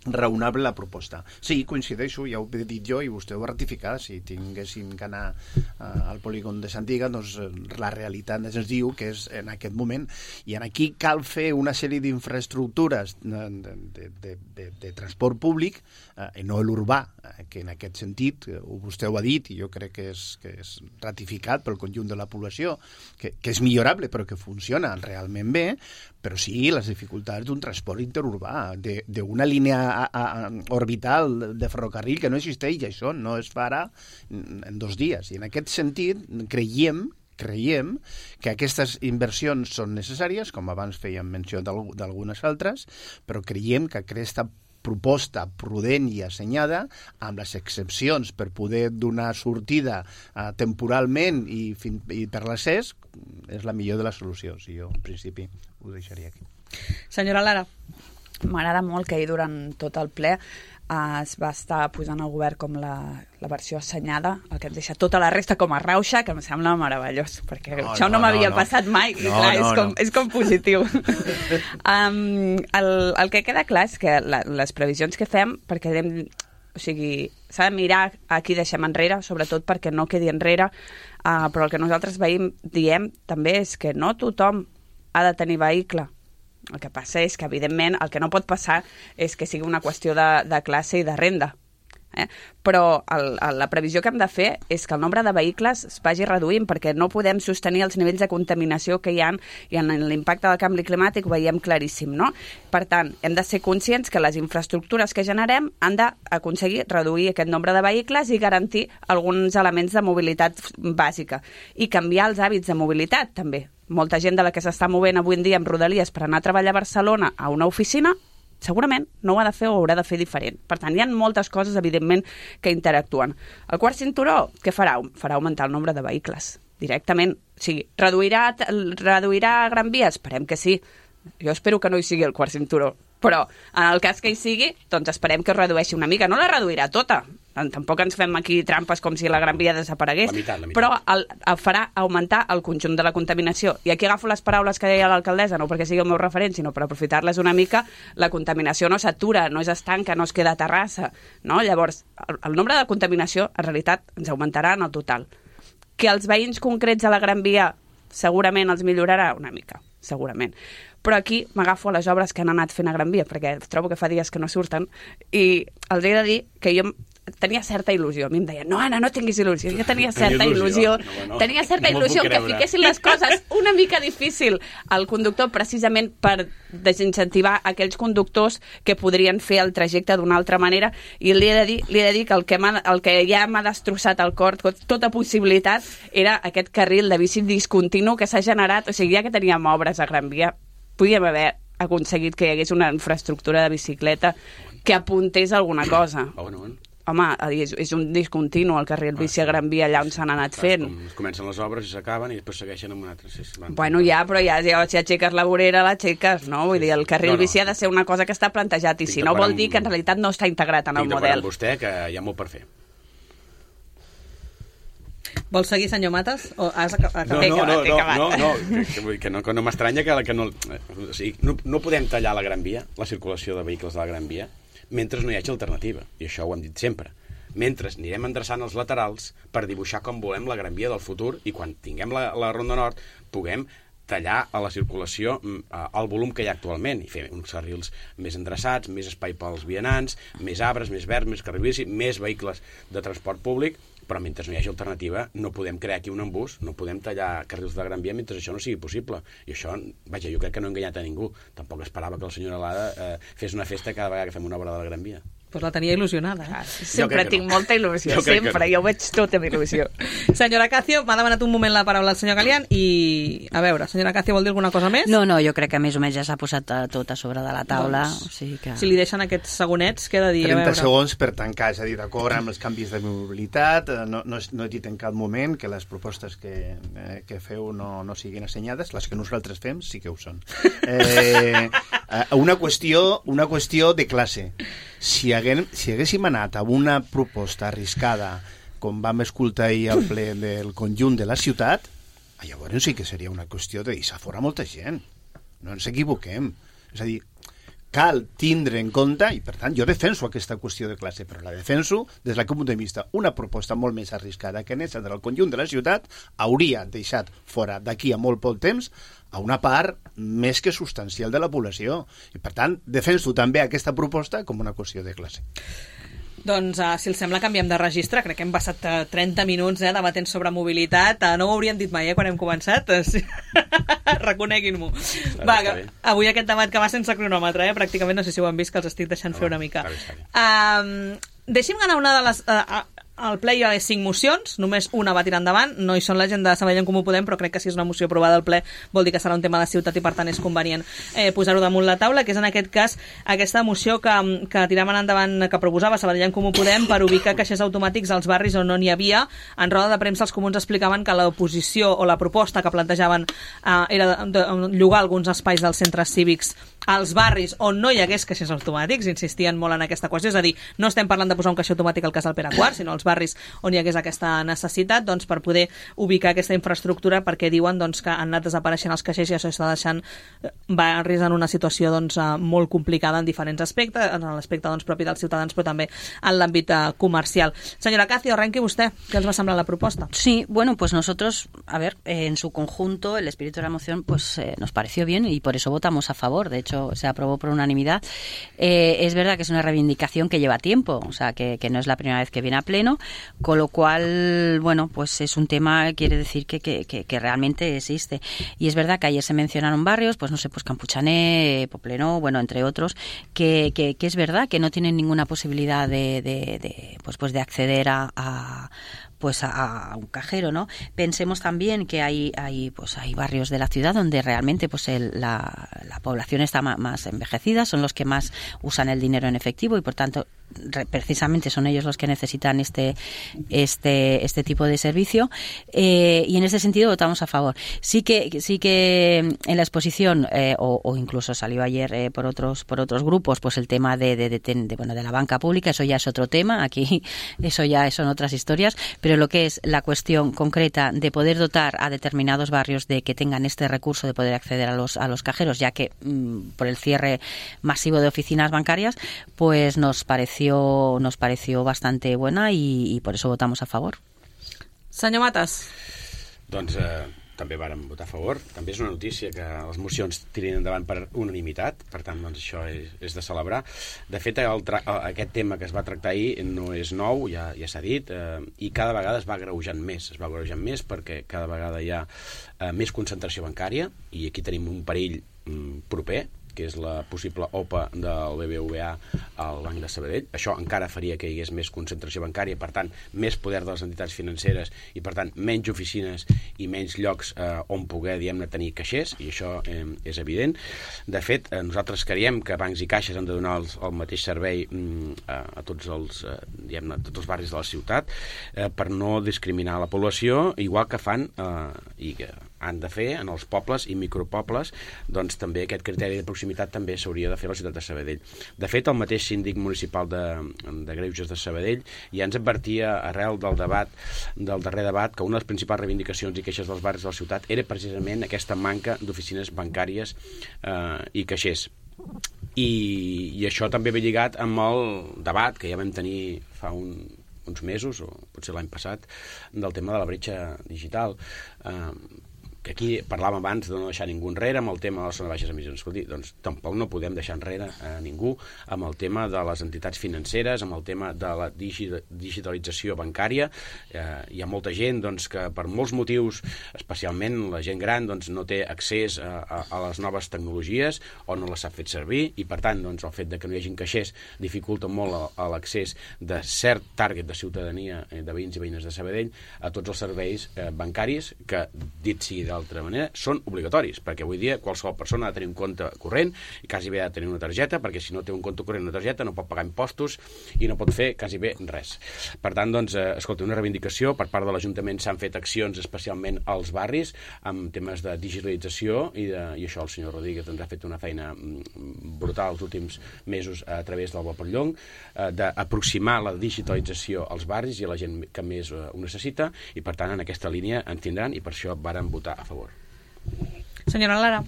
raonable la proposta. Sí, coincideixo, ja ho he dit jo i vostè ho va ratificar, si tinguéssim que anar al polígon de Santiga, doncs la realitat ens diu que és en aquest moment, i aquí cal fer una sèrie d'infraestructures de transport públic, i no l'urbà, que en aquest sentit, vostè ho ha dit, i jo crec que és ratificat pel conjunt de la població, que és millorable, però que funciona realment bé, però sí les dificultats d'un transport interurbà, d'una línia orbital de ferrocarril que no existeix, i això no es farà en 2 dies. I en aquest sentit creiem que aquestes inversions són necessàries, com abans fèiem menció d'algunes altres, però creiem que aquesta proposta prudent i assenyada, amb les excepcions per poder donar sortida temporalment i per l'accés, és la millor de les solucions. I jo, en principi, ho deixaria aquí. Senyora Lara. M'agrada molt que ahir durant tot el ple es va estar posant al govern com la versió assenyada, el que ens deixa tota la resta com a rauxa, que em sembla meravellós, perquè això no m'havia passat mai, i clar, és com positiu. El que queda clar és que les previsions que fem, perquè s'ha de mirar a qui deixem enrere, sobretot perquè no quedi enrere, però el que nosaltres diem també és que no tothom ha de tenir vehicle. El que passa és que, evidentment, el que no pot passar és que sigui una qüestió de classe i de renda. Però la previsió que hem de fer és que el nombre de vehicles es vagi reduint, perquè no podem sostenir els nivells de contaminació que hi ha, i en l'impacte del canvi climàtic ho veiem claríssim, no? Per tant, hem de ser conscients que les infraestructures que generem han d'aconseguir reduir aquest nombre de vehicles i garantir alguns elements de mobilitat bàsica. I canviar els hàbits de mobilitat, també. Molta gent de la que s'està movent avui en dia amb Rodalies per anar a treballar a Barcelona a una oficina, segurament no ho ha de fer o ho haurà de fer diferent. Per tant, hi ha moltes coses, evidentment, que interactuen. El quart cinturó, què farà? Farà augmentar el nombre de vehicles, directament. O sigui, reduirà Gran Via? Esperem que sí. Jo espero que no hi sigui el quart cinturó, però en el cas que hi sigui, doncs esperem que es redueixi una mica. No la reduirà tota, tampoc ens fem aquí trampes com si la Gran Via desaparegués, la meitat. Però farà augmentar el conjunt de la contaminació. I aquí agafo les paraules que deia l'alcaldessa, no perquè sigui el meu referent, sinó per aprofitar-les una mica. La contaminació no s'atura, no és estanca, no es queda a terrassa, no? Llavors, el nombre de contaminació, en realitat, ens augmentarà en el total. Que els veïns concrets a la Gran Via segurament els millorarà una mica, segurament. Però aquí m'agafo a les obres que han anat fent a Gran Via, perquè trobo que fa dies que no surten, i els he de dir que jo tenia certa il·lusió. A mi em deia, no, Anna, no tinguis il·lusió. Jo tenia certa il·lusió. Tenia certa il·lusió que fiquessin les coses una mica difícil al conductor, precisament per desincentivar aquells conductors que podrien fer el trajecte d'una altra manera, i li he de dir que el que ja m'ha destrossat el cor, tota possibilitat, era aquest carril de bici discontinu que s'ha generat. O sigui, ja que teníem obres a Gran Via, podíem haver aconseguit que hi hagués una infraestructura de bicicleta que apuntés a alguna cosa. Home, és un discontinu el carril bici a Gran Via allà on s'han anat fent. Comencen les obres i s'acaben i després segueixen amb un altre. Bueno, ja, però ja si aixeques la vorera, l'aixeques, no? Vull dir, el carril bici ha de ser una cosa que està plantejat, i si no vol dir que en realitat no està integrat en el model. Estic d'acord amb vostè que hi ha molt per fer. Vols seguir, senyor Matas? O has acabat? Que no m'estranya que no... O sigui, no podem tallar la Gran Via, la circulació de vehicles de la Gran Via, mentre no hi hagi alternativa, i això ho hem dit sempre. Mentre anirem endreçant els laterals per dibuixar com volem la Gran Via del futur, i quan tinguem la Ronda Nord puguem tallar a la circulació el volum que hi ha actualment i fer uns carrils més endreçats, més espai pels vianants, més arbres, més verds, més carril bici, més vehicles de transport públic, però mentre no hi hagi alternativa no podem crear aquí un embús, no podem tallar carrils de Gran Via mentre això no sigui possible. I això, vaja, jo crec que no ha enganyat a ningú. Tampoc esperava que la senyora Lada fes una festa cada vegada que fem una obra de la Gran Via. Pues la tenia il·lusionada. Sempre tinc molta il·lusió, sempre. Jo ho veig tot amb il·lusió. Senyora Cacio, m'ha demanat un moment la paraula al senyor Galián i, a veure, senyora Cacio, vol dir alguna cosa més? No, jo crec que més o menys ja s'ha posat tot a sobre de la taula. Doncs, o sigui que... si li deixen aquests segonets, què he de dir? 30 segons per tancar, és a dir, d'acord amb els canvis de mobilitat, no he dit en cap moment que les propostes que feu no siguin assenyades, les que nosaltres fem sí que ho són. Una qüestió de classe. Si haguéssim anat a una proposta arriscada, com vam escoltar ahir al ple del conjunt de la ciutat, llavors sí que seria una qüestió de deixar fora molta gent. No ens equivoquem. És a dir, cal tindre en compte, i per tant jo defenso aquesta qüestió de classe, però la defenso des del punt de vista. Una proposta molt més arriscada que aquesta del conjunt de la ciutat hauria deixat fora d'aquí a molt poc temps a una part més que substancial de la població. I per tant defenso també aquesta proposta com una qüestió de classe. Doncs, si els sembla, canviem de registre. Crec que hem passat 30 minuts debatent sobre mobilitat. No ho hauríem dit mai, quan hem començat. Reconeguin-m'ho. Va, avui aquest debat que va sense cronòmetre, pràcticament, no sé si ho han vist, que els estic deixant fer una mica. Deixi'm anar una de les... Al ple hi ha 5 mocions, només una va tirar endavant, no hi són la gent de Sabadell en Comú Podem, però crec que si és una moció aprovada al ple vol dir que serà un tema de ciutat i per tant és convenient posar-ho damunt la taula, que és en aquest cas aquesta moció que tiraven endavant, que proposava Sabadell en Comú Podem per ubicar caixers automàtics als barris on no n'hi havia. En roda de premsa els comuns explicaven que l'oposició o la proposta que plantejaven era de llogar alguns espais dels centres cívics als barris on no hi hagués caixers automàtics, insistien molt en aquesta qüestió, és a dir, no estem parlant de posar un caixer automàtic al Casal Pere IV, sinó als barris on hi hagués aquesta necessitat, doncs, per poder ubicar aquesta infraestructura, perquè diuen doncs, que han anat desapareixent els caixers i això està deixant barris en una situació doncs, molt complicada en diferents aspectes, en l'aspecte doncs, propi dels ciutadans, però també en l'àmbit comercial. Senyora Cacio, arrenqui vostè. ¿Qué os va a semblar la propuesta? Sí, bueno, pues nosotros, a ver, en su conjunto, el espíritu de la moción pues nos pareció bien y por eso votamos a favor. De hecho, se aprobó por unanimidad. Es verdad que es una reivindicación que lleva tiempo, o sea, que no es la primera vez que viene a pleno, con lo cual, bueno, pues es un tema, quiere decir que realmente existe. Y es verdad que ayer se mencionaron barrios, pues no sé, pues Campuchané, Poblenou, bueno, entre otros, que es verdad que no tienen ninguna posibilidad de acceder a un cajero, ¿no? Pensemos también que hay barrios de la ciudad donde realmente pues la población está más envejecida, son los que más usan el dinero en efectivo y por tanto precisamente son ellos los que necesitan este tipo de servicio, y en ese sentido votamos a favor. Sí que en la exposición o incluso salió ayer por otros grupos pues el tema de la banca pública, eso ya es otro tema, aquí eso ya son otras historias, pero lo que es la cuestión concreta de poder dotar a determinados barrios de que tengan este recurso de poder acceder a los cajeros, ya que por el cierre masivo de oficinas bancarias, pues nos pareció bastante buena y por eso votamos a favor. Senyor Matas. Doncs també vàrem votar a favor. També és una notícia que les mocions tirin endavant per unanimitat, per tant, doncs, això és de celebrar. De fet, aquest tema que es va tractar ahir no és nou, ja s'ha dit, i cada vegada es va agreujant més, perquè cada vegada hi ha més concentració bancària, i aquí tenim un perill proper, que és la possible OPA del BBVA al Banc de Sabadell. Això encara faria que hi hagués més concentració bancària, per tant, més poder de les entitats financeres i, per tant, menys oficines i menys llocs on poder, diguem-ne, tenir caixers, i això és evident. De fet, nosaltres creiem que bancs i caixes han de donar el mateix servei a tots els barris de la ciutat per no discriminar la població, igual que fan i que han de fer en els pobles i micropobles, doncs també aquest criteri de proximitat també s'hauria de fer a la ciutat de Sabadell. De fet, el mateix síndic municipal de Greuges de Sabadell ja ens advertia arrel del darrer debat que una de les principals reivindicacions i queixes dels barris de la ciutat era precisament aquesta manca d'oficines bancàries i caixers. I això també ve lligat amb el debat que ja vam tenir fa uns mesos, o potser l'any passat, del tema de la bretxa digital, que aquí parlàvem abans de no deixar ningú enrere amb el tema de les zones baixes emissions. Escolti, doncs tampoc no podem deixar enrere a ningú amb el tema de les entitats financeres, amb el tema de la digitalització bancària. Hi ha molta gent doncs, que per molts motius, especialment la gent gran, doncs, no té accés a les noves tecnologies o no les sap fer servir, i per tant doncs, el fet de que no hi hagin caixers dificulta molt l'accés de cert target de ciutadania, de veïns i veïnes de Sabadell, a tots els serveis bancaris que, dit sigui d'altra manera, són obligatoris, perquè avui dia qualsevol persona ha de tenir un compte corrent i quasi bé ha de tenir una targeta, perquè si no té un compte corrent i una targeta no pot pagar impostos i no pot fer quasi bé res. Per tant, doncs, escolta, una reivindicació per part de l'Ajuntament. S'han fet accions especialment als barris amb temes de digitalització i això el senyor Rodríguez ens ha fet una feina brutal els últims mesos a través del Bapallong, d'aproximar la digitalització als barris i a la gent que més ho necessita, i per tant en aquesta línia ens tindran, i per això vàrem votar a favor. Senyora Lara.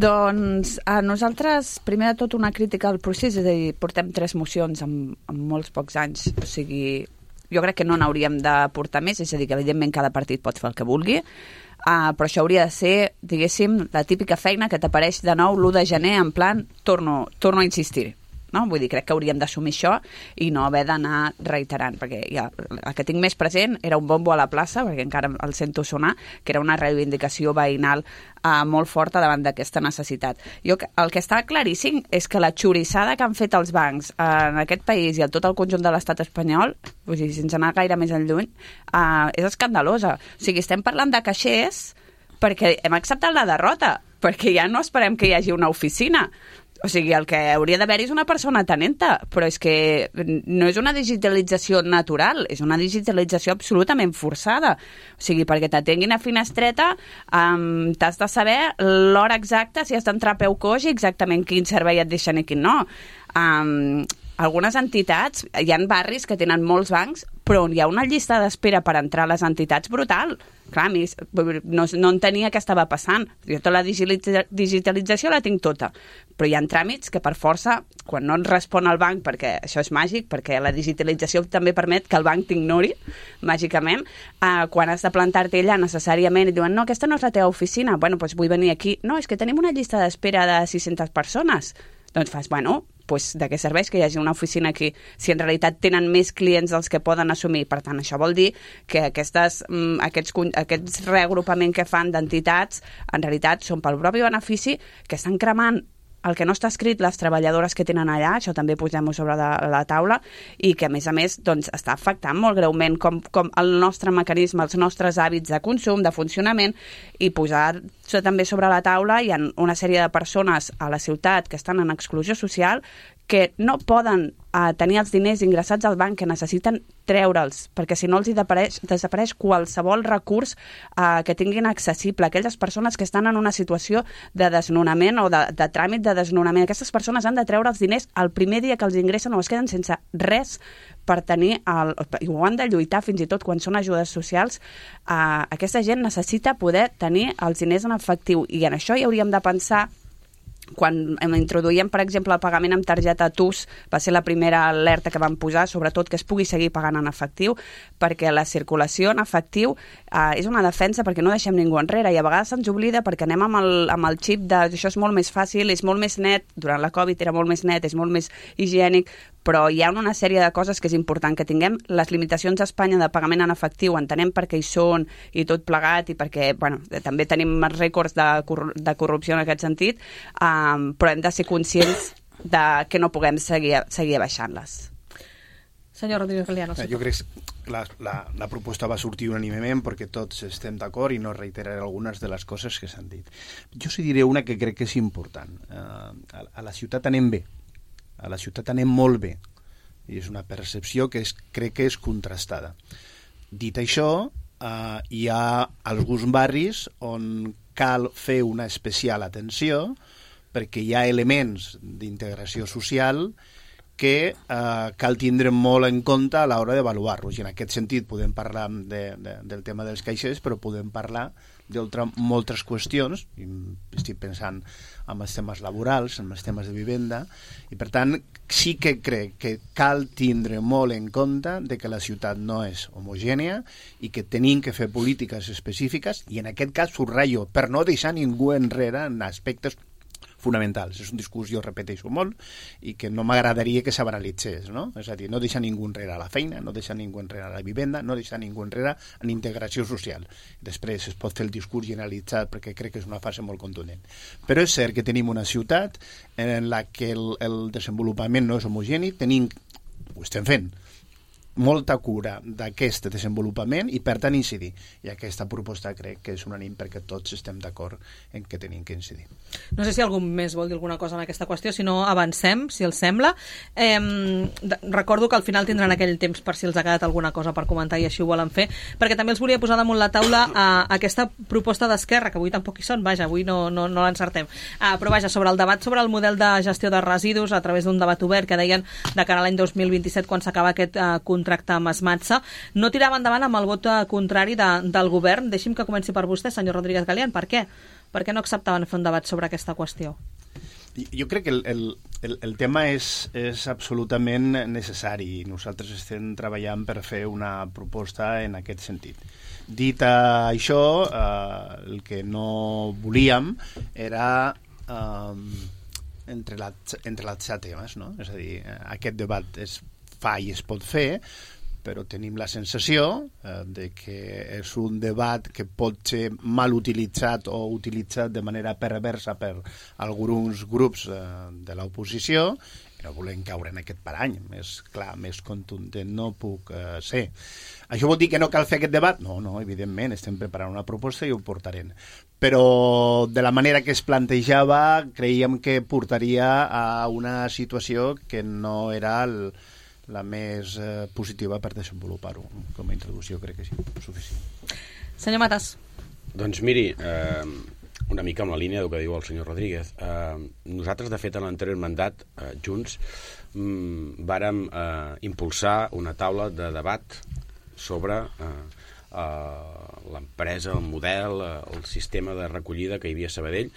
Doncs a nosaltres, primer de tot, una crítica al procés, és a dir, portem 3 mocions en molts pocs anys, o sigui, jo crec que no n'hauríem de portar més, és a dir, que evidentment cada partit pot fer el que vulgui, però això hauria de ser, diguéssim, la típica feina que t'apareix de nou l'1 de gener, en plan, torno a insistir. No? Vull dir, crec que hauríem d'assumir això i no haver d'anar reiterant, perquè ja, el que tinc més present era un bombo a la plaça, perquè encara el sento sonar, que era una reivindicació veïnal molt forta davant d'aquesta necessitat. El que està claríssim és que la xorissada que han fet els bancs en aquest país i a tot el conjunt de l'estat espanyol, vull dir, sense anar gaire més enlluny, és escandalosa. O sigui, estem parlant de caixers perquè hem acceptat la derrota, perquè ja no esperem que hi hagi una oficina. O sigui, el que hauria d'haver-hi és una persona tenenta, però és que no és una digitalització natural, és una digitalització absolutament forçada. O sigui, perquè t'atenguin a finestreta, t'has de saber l'hora exacta, si has d'entrar a peu coix i exactament quin servei et deixen i quin no. Algunes entitats, hi ha barris que tenen molts bancs, però on hi ha una llista d'espera per entrar a les entitats brutal. Clar, a mi no entenia què estava passant. Jo tota la digitalització la tinc tota, però hi ha tràmits que per força, quan no et respon el banc, perquè això és màgic, perquè la digitalització també permet que el banc t'ignori, màgicament, quan has de plantar-te allà necessàriament i diuen, no, aquesta no és la teva oficina, bueno, doncs vull venir aquí. No, és que tenim una llista d'espera de 600 persones. Doncs fas, bueno, doncs de què serveix que hi hagi una oficina aquí si en realitat tenen més clients dels que poden assumir? Per tant, això vol dir que aquests reagrupaments que fan d'entitats en realitat són pel propi benefici, que estan cremant el que no està escrit les treballadores que tenen allà, això també posem-ho sobre la taula, i que a més doncs, està afectant molt greument com el nostre mecanisme, els nostres hàbits de consum, de funcionament, i posar-se també sobre la taula hi ha una sèrie de persones a la ciutat que estan en exclusió social que no poden tenir els diners ingressats al banc, que necessiten treure'ls, perquè si no els desapareix qualsevol recurs que tinguin accessible. Aquelles persones que estan en una situació de desnonament o de tràmit de desnonament, aquestes persones han de treure els diners el primer dia que els ingressen o es queden sense res per tenir, i ho han de lluitar fins i tot quan són ajudes socials. Aquesta gent necessita poder tenir els diners en efectiu, i en això hi hauríem de pensar quan introduïem, per exemple, el pagament amb targeta TUS, va ser la primera alerta que vam posar, sobretot que es pugui seguir pagant en efectiu, perquè la circulació en efectiu és una defensa perquè no deixem ningú enrere, i a vegades se'ns oblida perquè anem amb el xip de això és molt més fàcil, és molt més net, durant la Covid era molt més net, és molt més higiènic, però hi ha una sèrie de coses que és important que tinguem. Les limitacions a Espanya de pagament en efectiu entenem per què hi són i tot plegat, i perquè també tenim rècords de corrupció en aquest sentit, però hem de ser conscients de que no puguem seguir abaixant-les. Senyor Rodríguez Galiano. Jo crec que la proposta va sortir unànimement perquè tots estem d'acord i no reiteraré algunes de les coses que s'han dit. Jo sí diré una que crec que és important. A la ciutat anem bé, a la ciutat anem molt bé, i és una percepció que crec que és contrastada. Dit això, hi ha alguns barris on cal fer una especial atenció perquè hi ha elements d'integració social que cal tindre molt en compte a l'hora d'avaluar-los. I en aquest sentit podem parlar del tema dels caixers, però podem parlar moltes qüestions, i estic pensant en els temes laborals, en els temes de vivenda, i per tant sí que crec que cal tindre molt en compte de que la ciutat no és homogènia i que tenim que fer polítiques específiques, i en aquest cas subratllo, per no deixar ningú enrere en aspectes fonamentals. És un discurs, jo repeteixo molt, i que no m'agradaria que s'abanalitzés, no? És a dir, no deixar ningú enrere a la feina, no deixar ningú enrere a la vivenda, no deixar ningú enrere en integració social. Després es pot fer el discurs generalitzat perquè crec que és una fase molt contundent. Però és cert que tenim una ciutat en la que el desenvolupament no és homogeni, ho estem fent, molta cura d'aquest desenvolupament i per tant incidir. I aquesta proposta crec que és unànime perquè tots estem d'acord en què tenim que incidir. No sé si algú més vol dir alguna cosa en aquesta qüestió, si no avancem, si els sembla. Recordo que al final tindran aquell temps per si els ha quedat alguna cosa per comentar i així ho volen fer, perquè també els volia posar damunt la taula aquesta proposta d'Esquerra, que avui tampoc hi són, vaja, avui no l'encertem. Però vaja, sobre el debat sobre el model de gestió de residus a través d'un debat obert que deien de cara a l'any 2027, quan s'acaba aquest contracte amb Esmatsa, no tirava endavant amb el vot contrari del govern. Deixi'm que comenci per vostè, senyor Rodríguez Galián. Per què? Per què no acceptaven fer un debat sobre aquesta qüestió? Jo crec que el tema és absolutament necessari i nosaltres estem treballant per fer una proposta en aquest sentit. Dit això, el que no volíem era entrelatzar temes, no? És a dir, aquest debat es fa i es pot fer, però tenim la sensació de que és un debat que pot ser mal utilitzat o utilitzat de manera perversa per alguns grups de l'oposició, i no volem caure en aquest parany. Més clar, més contundent no puc ser. Això vol dir que no cal fer aquest debat? No, evidentment, estem preparant una proposta i ho portarem. Però de la manera que es plantejava, creiem que portaria a una situació que no era la més positiva per desenvolupar-ho. Com a introducció crec que sí, suficient. Senyor Matas. Doncs miri, una mica amb la línia del que diu el senyor Rodríguez. Nosaltres, de fet, en l'anterior mandat, junts, vàrem impulsar una taula de debat sobre l'empresa, el model, el sistema de recollida que hi havia a Sabadell,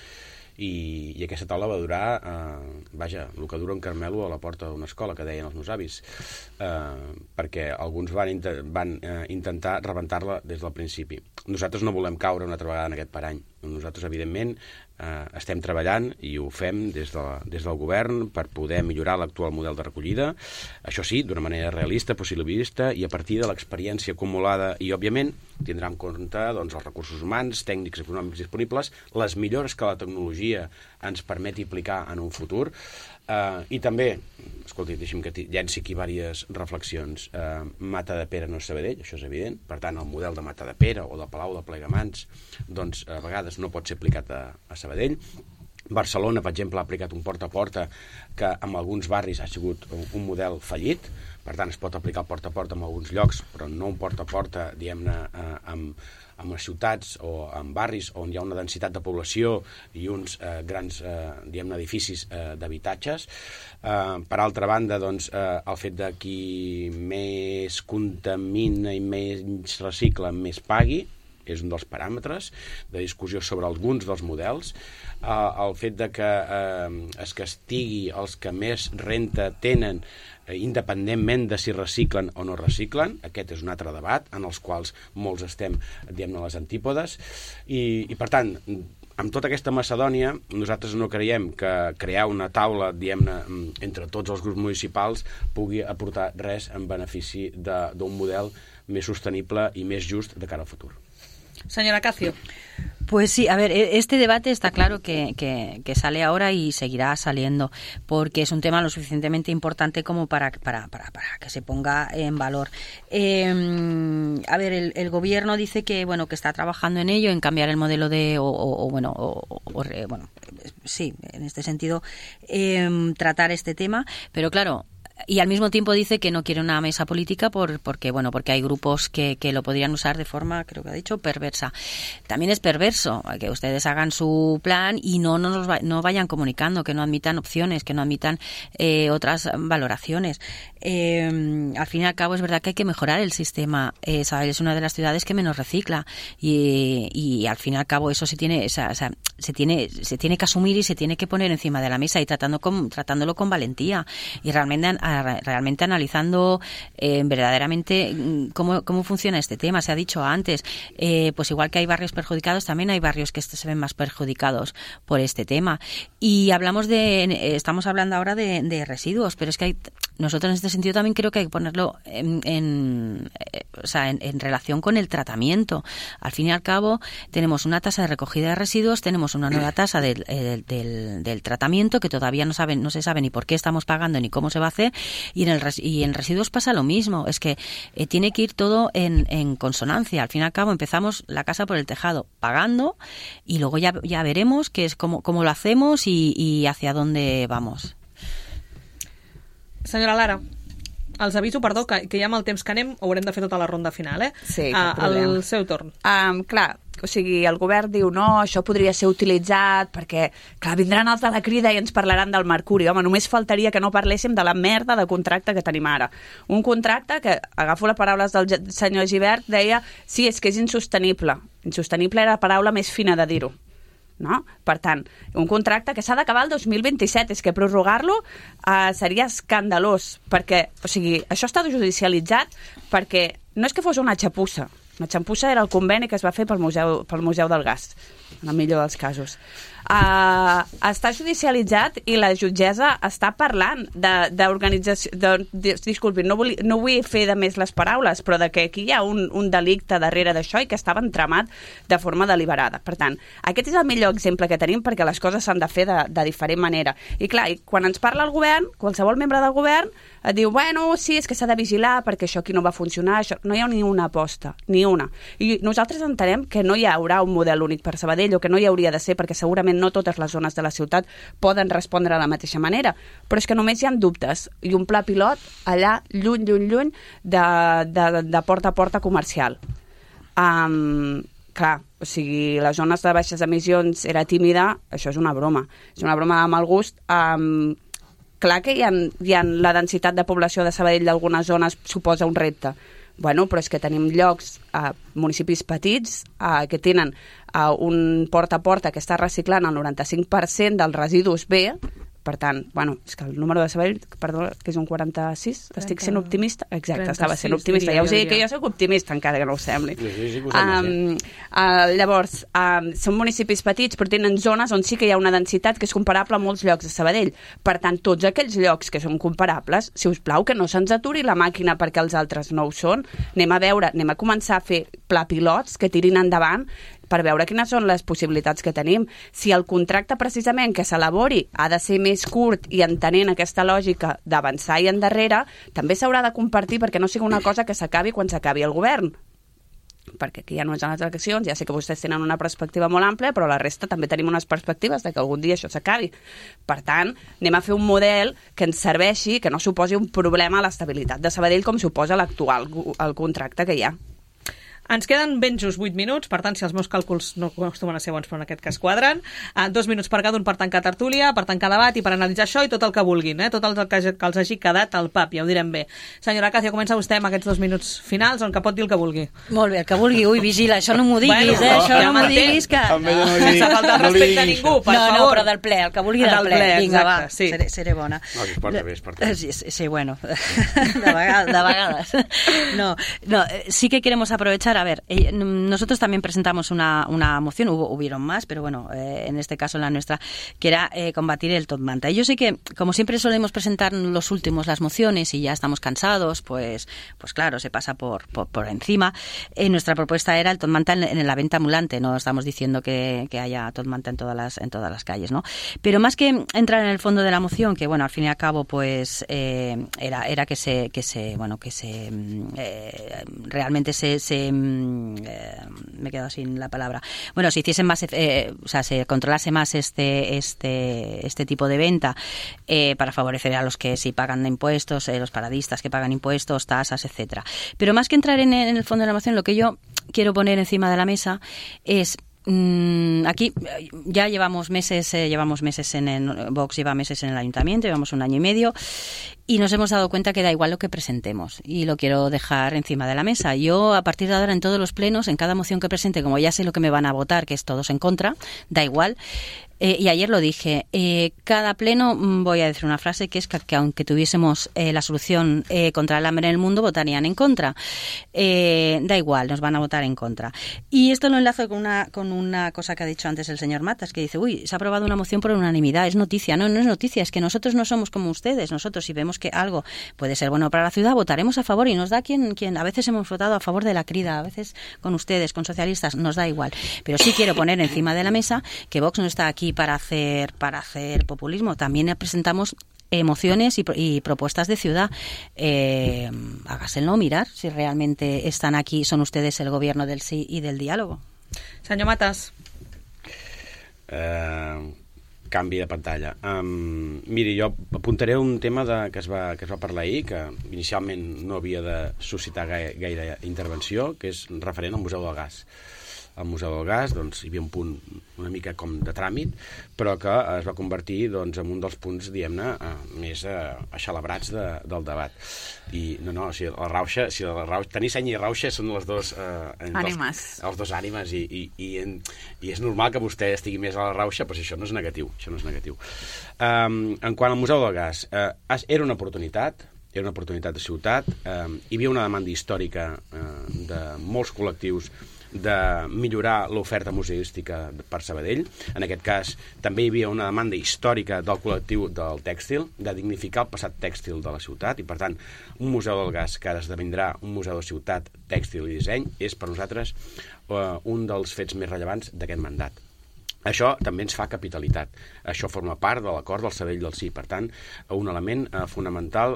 i aquesta taula va durar el que dura un Carmelo a la porta d'una escola, que deien els meus avis, perquè alguns van intentar rebentar-la des del principi. Nosaltres no volem caure una altra vegada en aquest parany. Nosaltres, evidentment, estem treballant i ho fem des del govern per poder millorar l'actual model de recollida, això sí, d'una manera realista, possibilista, i a partir de l'experiència acumulada, i òbviament tindrà en compte els recursos humans, tècnics i econòmics disponibles, les millores que la tecnologia ens permeti aplicar en un futur, i també, escolti, deixi'm que llenci aquí diverses reflexions. Matadepera no és Sabadell, això és evident, per tant el model de Matadepera o de Palau de Plegamans doncs a vegades no pot ser aplicat a Sabadell. Barcelona, per exemple, ha aplicat un porta a porta que en alguns barris ha sigut un model fallit, per tant es pot aplicar el porta a porta en alguns llocs, però no un porta a porta, diguem-ne, en les ciutats o en barris on hi ha una densitat de població i uns grans, diguem-ne, edificis d'habitatges. Per altra banda, doncs, el fet de qui més contamina i menys recicla, més pagui, és un dels paràmetres de discussió sobre alguns dels models. El fet de que es castigui els que més renta tenen independentment de si reciclen o no reciclen, aquest és un altre debat en els quals molts estem, diguem-ne, a les antípodes, i per tant, amb tota aquesta macedònia, nosaltres no creiem que crear una taula, diguem-ne, entre tots els grups municipals pugui aportar res en benefici d'un model més sostenible i més just de cara al futur. Señora Cacio. Pues sí, a ver, este debate está claro que sale ahora y seguirá saliendo, porque es un tema lo suficientemente importante como para que se ponga en valor. A ver, el gobierno dice que bueno, que está trabajando en ello, en cambiar el modelo de, sí, en este sentido, tratar este tema, pero claro. Y al mismo tiempo dice que no quiere una mesa política porque hay grupos que lo podrían usar de forma, creo que ha dicho, perversa. También es perverso que ustedes hagan su plan y no vayan comunicando, que no admitan opciones, que no admitan otras valoraciones. Al fin y al cabo es verdad que hay que mejorar el sistema. Sabadell es una de las ciudades que menos recicla y al fin y al cabo eso se tiene que asumir y se tiene que poner encima de la mesa y tratándolo con valentía y realmente analizando verdaderamente cómo funciona este tema. Se ha dicho antes, pues igual que hay barrios perjudicados, también hay barrios que se ven más perjudicados por este tema. Y estamos hablando ahora de residuos, pero es que nosotros en este sentido también creo que hay que ponerlo en relación con el tratamiento. Al fin y al cabo tenemos una tasa de recogida de residuos, tenemos una nueva tasa del tratamiento que todavía no se sabe ni por qué estamos pagando ni cómo se va a hacer, y en residuos pasa lo mismo. Es que tiene que ir todo en consonancia. Al fin y al cabo empezamos la casa por el tejado, pagando, y luego ya veremos qué es cómo lo hacemos y hacia dónde vamos. Senyora Lara, els aviso, perdó, que ja amb el temps que anem haurem de fer tota la ronda final, Sí, cap problema. El seu torn. Clar, o sigui, el govern diu no, això podria ser utilitzat perquè, clar, vindran els de la Crida i ens parlaran del mercuri. Home, només faltaria que no parléssim de la merda de contracte que tenim ara. Un contracte que, agafo les paraules del senyor Gibert, deia, sí, és que és insostenible. Insostenible era la paraula més fina de dir-ho. No? Per tant, un contracte que s'ha d'acabar el 2027, és que prorrogar-lo seria escandalós, perquè, o sigui, això està judicialitzat perquè no és que fos una xapussa. Una xapussa era el conveni que es va fer pel Museu del Gas, en el millor dels casos. Està judicialitzat i la jutgessa està parlant d'organització... Disculpi, no vull fer de més les paraules, però de que aquí hi ha un delicte darrere d'això i que estava entramat de forma deliberada. Per tant, aquest és el millor exemple que tenim perquè les coses s'han de fer de diferent manera. I clar, quan ens parla el govern, qualsevol membre del govern et diu, bueno, sí, és que s'ha de vigilar perquè això aquí no va funcionar, això... No hi ha ni una aposta, ni una. I nosaltres entenem que no hi haurà un model únic per Sabadell, o que no hi hauria de ser, perquè segurament no totes les zones de la ciutat poden respondre de la mateixa manera, però és que només hi ha dubtes, i un pla pilot allà lluny de porta a porta comercial. Clar, o sigui, les zones de baixes emissions era tímida, això és una broma de mal gust. Clar que hi ha la densitat de població de Sabadell d'algunes zones suposa un repte. Bueno, però és que tenim llocs, municipis petits, que tenen un porta a porta que està reciclant el 95% dels residus B. Per tant, bueno, és que el número de Sabadell, perdó, que és un 46, estic sent optimista? Exacte, 36, estava sent optimista. Ja us dic que jo soc optimista, encara que no ho sembli. Llavors, són municipis petits, però tenen zones on sí que hi ha una densitat que és comparable a molts llocs de Sabadell. Per tant, tots aquells llocs que són comparables, si us plau, que no se'ns aturi la màquina perquè els altres no ho són. Anem a començar a fer pla pilots que tirin endavant per veure quines són les possibilitats que tenim. Si el contracte precisament que s'elabori ha de ser més curt i entenent aquesta lògica d'avançar i endarrere, també s'haurà de compartir perquè no sigui una cosa que s'acabi quan s'acabi el govern. Perquè aquí ja no és en les eleccions, ja sé que vostès tenen una perspectiva molt àmplia, però la resta també tenim unes perspectives de que algun dia això s'acabi. Per tant, anem a fer un model que ens serveixi, que no suposi un problema a l'estabilitat de Sabadell com suposa l'actual, el contracte que hi ha. Ens queden ben just 8 minuts, per tant, si els meus càlculs no acostumen a ser bons, però en aquest cas quadren, 2 minuts per cada un per tancar tertúlia, per tancar debat i per analitzar això i tot el que vulguin, tot el que els hagi quedat al pap, ja ho direm bé. Senyora Acacio, comença vostè amb aquests 2 minuts finals, on que pot dir el que vulgui. Molt bé, el que vulgui. Ui, vigila, això no m'ho diguis, Bueno, això ja no m'ho diguis, que... Sense faltar el respecte a ningú, per favor. No, però del ple, el que vulgui del ple. Vinga, va, sí. seré bona. No, es porta bé, es porta bé. Sí, bueno, de vegades. No, sí que queremos aprovechar, a ver, nosotros también presentamos una moción, hubieron más, pero bueno, en este caso la nuestra, que era combatir el top manta. Y yo sé que, como siempre solemos presentar los últimos las mociones y ya estamos cansados, pues claro, se pasa por encima. Nuestra propuesta era el top manta en la venta ambulante, no estamos diciendo que haya top manta en todas las calles, ¿no? Pero más que entrar en el fondo de la moción, que bueno, al fin y al cabo, pues era que realmente me he quedado sin la palabra. Bueno, se hiciesen más, se controlase más este tipo de venta para favorecer a los que sí pagan impuestos, los paradistas que pagan impuestos, tasas, etcétera. Pero más que entrar en el fondo de la moción, lo que yo quiero poner encima de la mesa es aquí ya llevamos meses Vox lleva meses en el ayuntamiento, llevamos 1 año y medio y nos hemos dado cuenta que da igual lo que presentemos y lo quiero dejar encima de la mesa. Yo a partir de ahora en todos los plenos, en cada moción que presente, como ya sé lo que me van a votar, que es todos en contra, da igual. Y ayer lo dije, cada pleno voy a decir una frase que es que aunque tuviésemos la solución contra el hambre en el mundo, votarían en contra. Da igual, nos van a votar en contra. Y esto lo enlazo con una cosa que ha dicho antes el señor Matas, que dice, se ha aprobado una moción por unanimidad, es noticia. No es noticia, es que nosotros no somos como ustedes. Nosotros, si vemos que algo puede ser bueno para la ciudad, votaremos a favor y nos da quien a veces hemos votado a favor de la crida, a veces con ustedes, con socialistas, nos da igual. Pero sí quiero poner encima de la mesa que Vox no está aquí para hacer populismo. También presentamos mociones y propuestas de ciudad. Hágaselo mirar si realmente están aquí, son ustedes el gobierno del sí y del diálogo. Senyor Matas. Canvi de pantalla. Miri, jo apuntaré un tema que es va parlar ahir, que inicialment no havia de suscitar gaire intervenció, que és referent al Museu del Gas. Al Museu del Gas hi havia un punt una mica com de tràmit, però que es va convertir en un dels punts, diguem-ne, més axalabrats del debat. I tenir seny i rauxa són les dues ànimes. Els dos ànimes, i és normal que vostè estigui més a la rauxa, però això no és negatiu. En quant al Museu del Gas, era una oportunitat de ciutat, hi havia una demanda històrica de molts col·lectius de millorar l'oferta museística per Sabadell. En aquest cas també hi havia una demanda històrica del col·lectiu del tèxtil, de dignificar el passat tèxtil de la ciutat, i per tant un museu del gas que ara esdevindrà un museu de ciutat, tèxtil i disseny és per nosaltres un dels fets més rellevants d'aquest mandat. Això també ens fa capitalitat. Això forma part de l'acord del Sabadell del Sí. Per tant, un element fonamental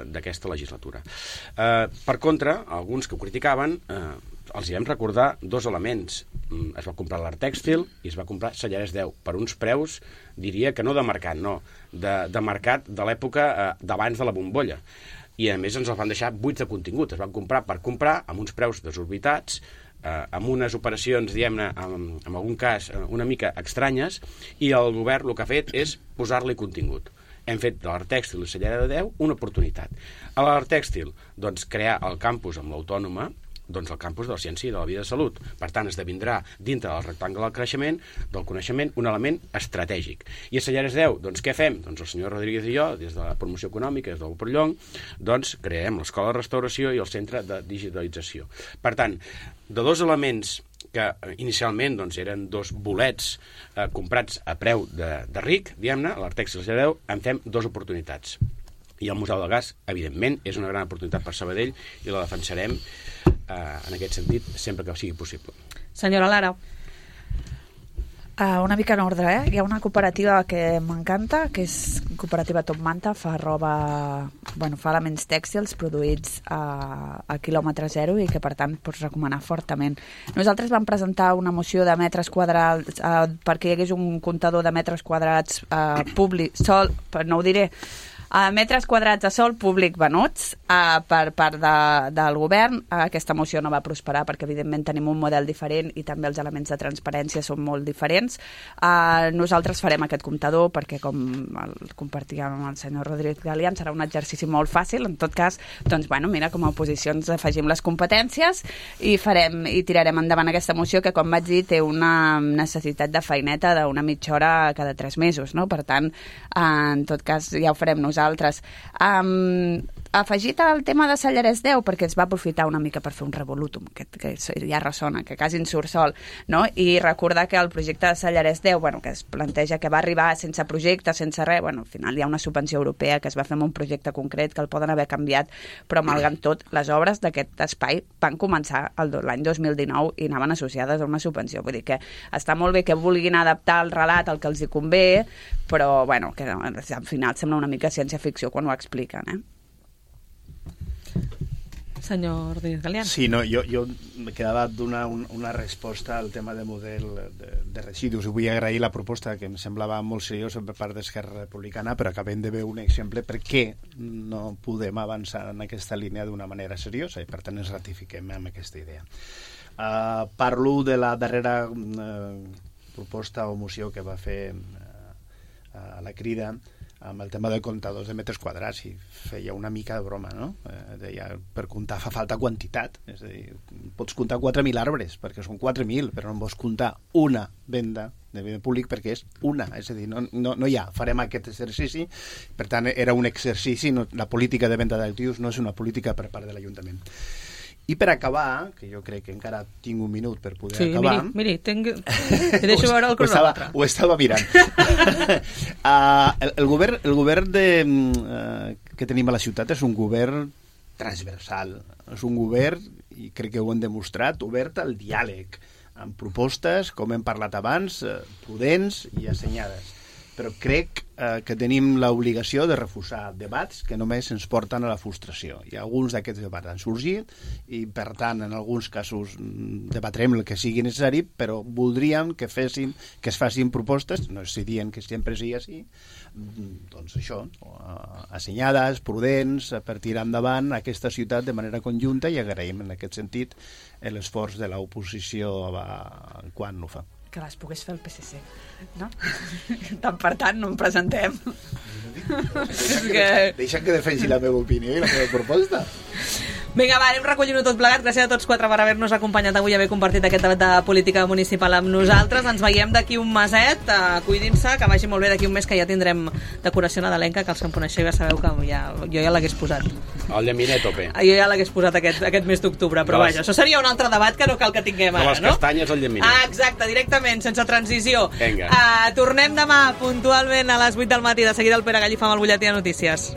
d'aquesta legislatura. Per contra, alguns que ho criticaven, els hi vam recordar 2 elements. Es va comprar l'art tèxtil i es va comprar Sellarès 10 per uns preus, diria que no de mercat, no, de mercat de l'època d'abans de la bombolla. I a més ens els van deixar buits de contingut. Es van comprar per comprar amb uns preus desorbitats, amb unes operacions, diguem-ne, en algun cas una mica estranyes, i el govern el que ha fet és posar-li contingut. Hem fet de l'art tèxtil i Sellarès 10 una oportunitat. A l'art tèxtil, crear el campus amb l'Autònoma, el campus de la ciència i de la vida de salut. Per tant, esdevindrà dintre del rectangle del coneixement un element estratègic. I a Sellarès 10, què fem? El senyor Rodríguez i jo, des de la promoció econòmica, des del Porllong, creem l'escola de restauració i el centre de digitalització. Per tant, de 2 elements que inicialment eren 2 bolets comprats a preu de ric, diguem-ne, l'art tèxtil i Sellarès 10, en fem 2 oportunitats. I el Museu del Gas, evidentment, és una gran oportunitat per Sabadell i la defensarem en aquest sentit sempre que sigui possible. Senyora Lara. Una mica en ordre, Hi ha una cooperativa que m'encanta, que és cooperativa Top Manta, fa elements tèxtils produïts a quilòmetre zero i que per tant pots recomanar fortament. Nosaltres vam presentar una moció de metres quadrats perquè hi hagués un comptador de metres quadrats públic, no ho diré, Metres quadrats de sòl públic venuts per part del govern. Aquesta moció no va prosperar perquè, evidentment, tenim un model diferent i també els elements de transparència són molt diferents. Nosaltres farem aquest comptador perquè, com el compartíem amb el senyor Rodríguez Galián, serà un exercici molt fàcil. En tot cas, doncs, bueno, mira, com a oposició ens afegim les competències i tirarem endavant aquesta moció que, com vaig dir, té una necessitat de feineta d'una mitja hora cada 3 mesos, no? Per tant, en tot cas, ja ho farem nosaltres. Afegit al tema de Sallarès 10, perquè es va aprofitar una mica per fer un revolutum, que ja ressona, que quasi en surt sol, no? I recordar que el projecte de Sallarès 10, bueno, que es planteja que va arribar sense projecte, sense res, bueno, al final hi ha una subvenció europea que es va fer amb un projecte concret que el poden haver canviat, però malgrat tot, les obres d'aquest espai van començar l'any 2019 i anaven associades a una subvenció. Vull dir que està molt bé que vulguin adaptar el relat al que els hi convé, però, bueno, que al final sembla una mica ciència-ficció quan ho expliquen, Senyor Rodríguez Galián. Sí, no, jo me quedava donar una resposta al tema de model de residus. Vull agrair la proposta, que em semblava molt seriosa per part d'Esquerra Republicana, però acabem de veure un exemple per què no podem avançar en aquesta línia d'una manera seriosa i, per tant, ens ratifiquem amb aquesta idea. Parlo de la darrera proposta o moció que va fer a la Crida amb el tema de comptadors de metres quadrats, i feia una mica de broma, no? Deia, per comptar fa falta quantitat, és a dir, pots comptar 4.000 arbres, perquè són 4.000, però no pots comptar una venda de bé públic perquè és una, és a dir, no hi ha, farem aquest exercici, per tant era un exercici, la política de venda d'actius no és una política per part de l'Ajuntament. I per acabar, que jo crec que encara tinc un minut per poder acabar... Sí, miri, te deixo veure el cronòmetre. Ho estava mirant. El govern que tenim a la ciutat és un govern transversal. És un govern, i crec que ho hem demostrat, obert al diàleg, amb propostes, com hem parlat abans, prudents i assenyades. Però crec que tenim l'obligació de refusar debats que només ens porten a la frustració. I alguns d'aquests debats han sorgit i, per tant, en alguns casos debatrem el que sigui necessari, però voldríem que es facin propostes, no estic dient que sempre sigui així, doncs això, assenyades, prudents, per tirar endavant aquesta ciutat de manera conjunta, i agraïm en aquest sentit l'esforç de l'oposició quan ho fa. Que les pogués fer el PSC, no? Tant per tant, no em presentem. Deixa'm que defensi la meva opinió i la meva proposta. Vinga, va, anem recollint-ho tot plegat. Gràcies a tots 4 per haver-nos acompanyat avui i haver compartit aquest debat de política municipal amb nosaltres. Ens veiem d'aquí un meset. Cuidin-se, que vagi molt bé d'aquí un mes, que ja tindrem decoració nadalenca, que els que em coneixeu ja sabeu que jo ja l'hagués posat. El llaminet a tope. Jo ja l'hagués posat aquest mes d'octubre, però vaja, això seria un altre debat que no cal que tinguem ara, no? De les castanyes al llaminet. Exacte, directament, sense transició. Vinga. Tornem demà puntualment a les 8 del matí. De seguida el Pere Gallifa amb el butlletí de notícies.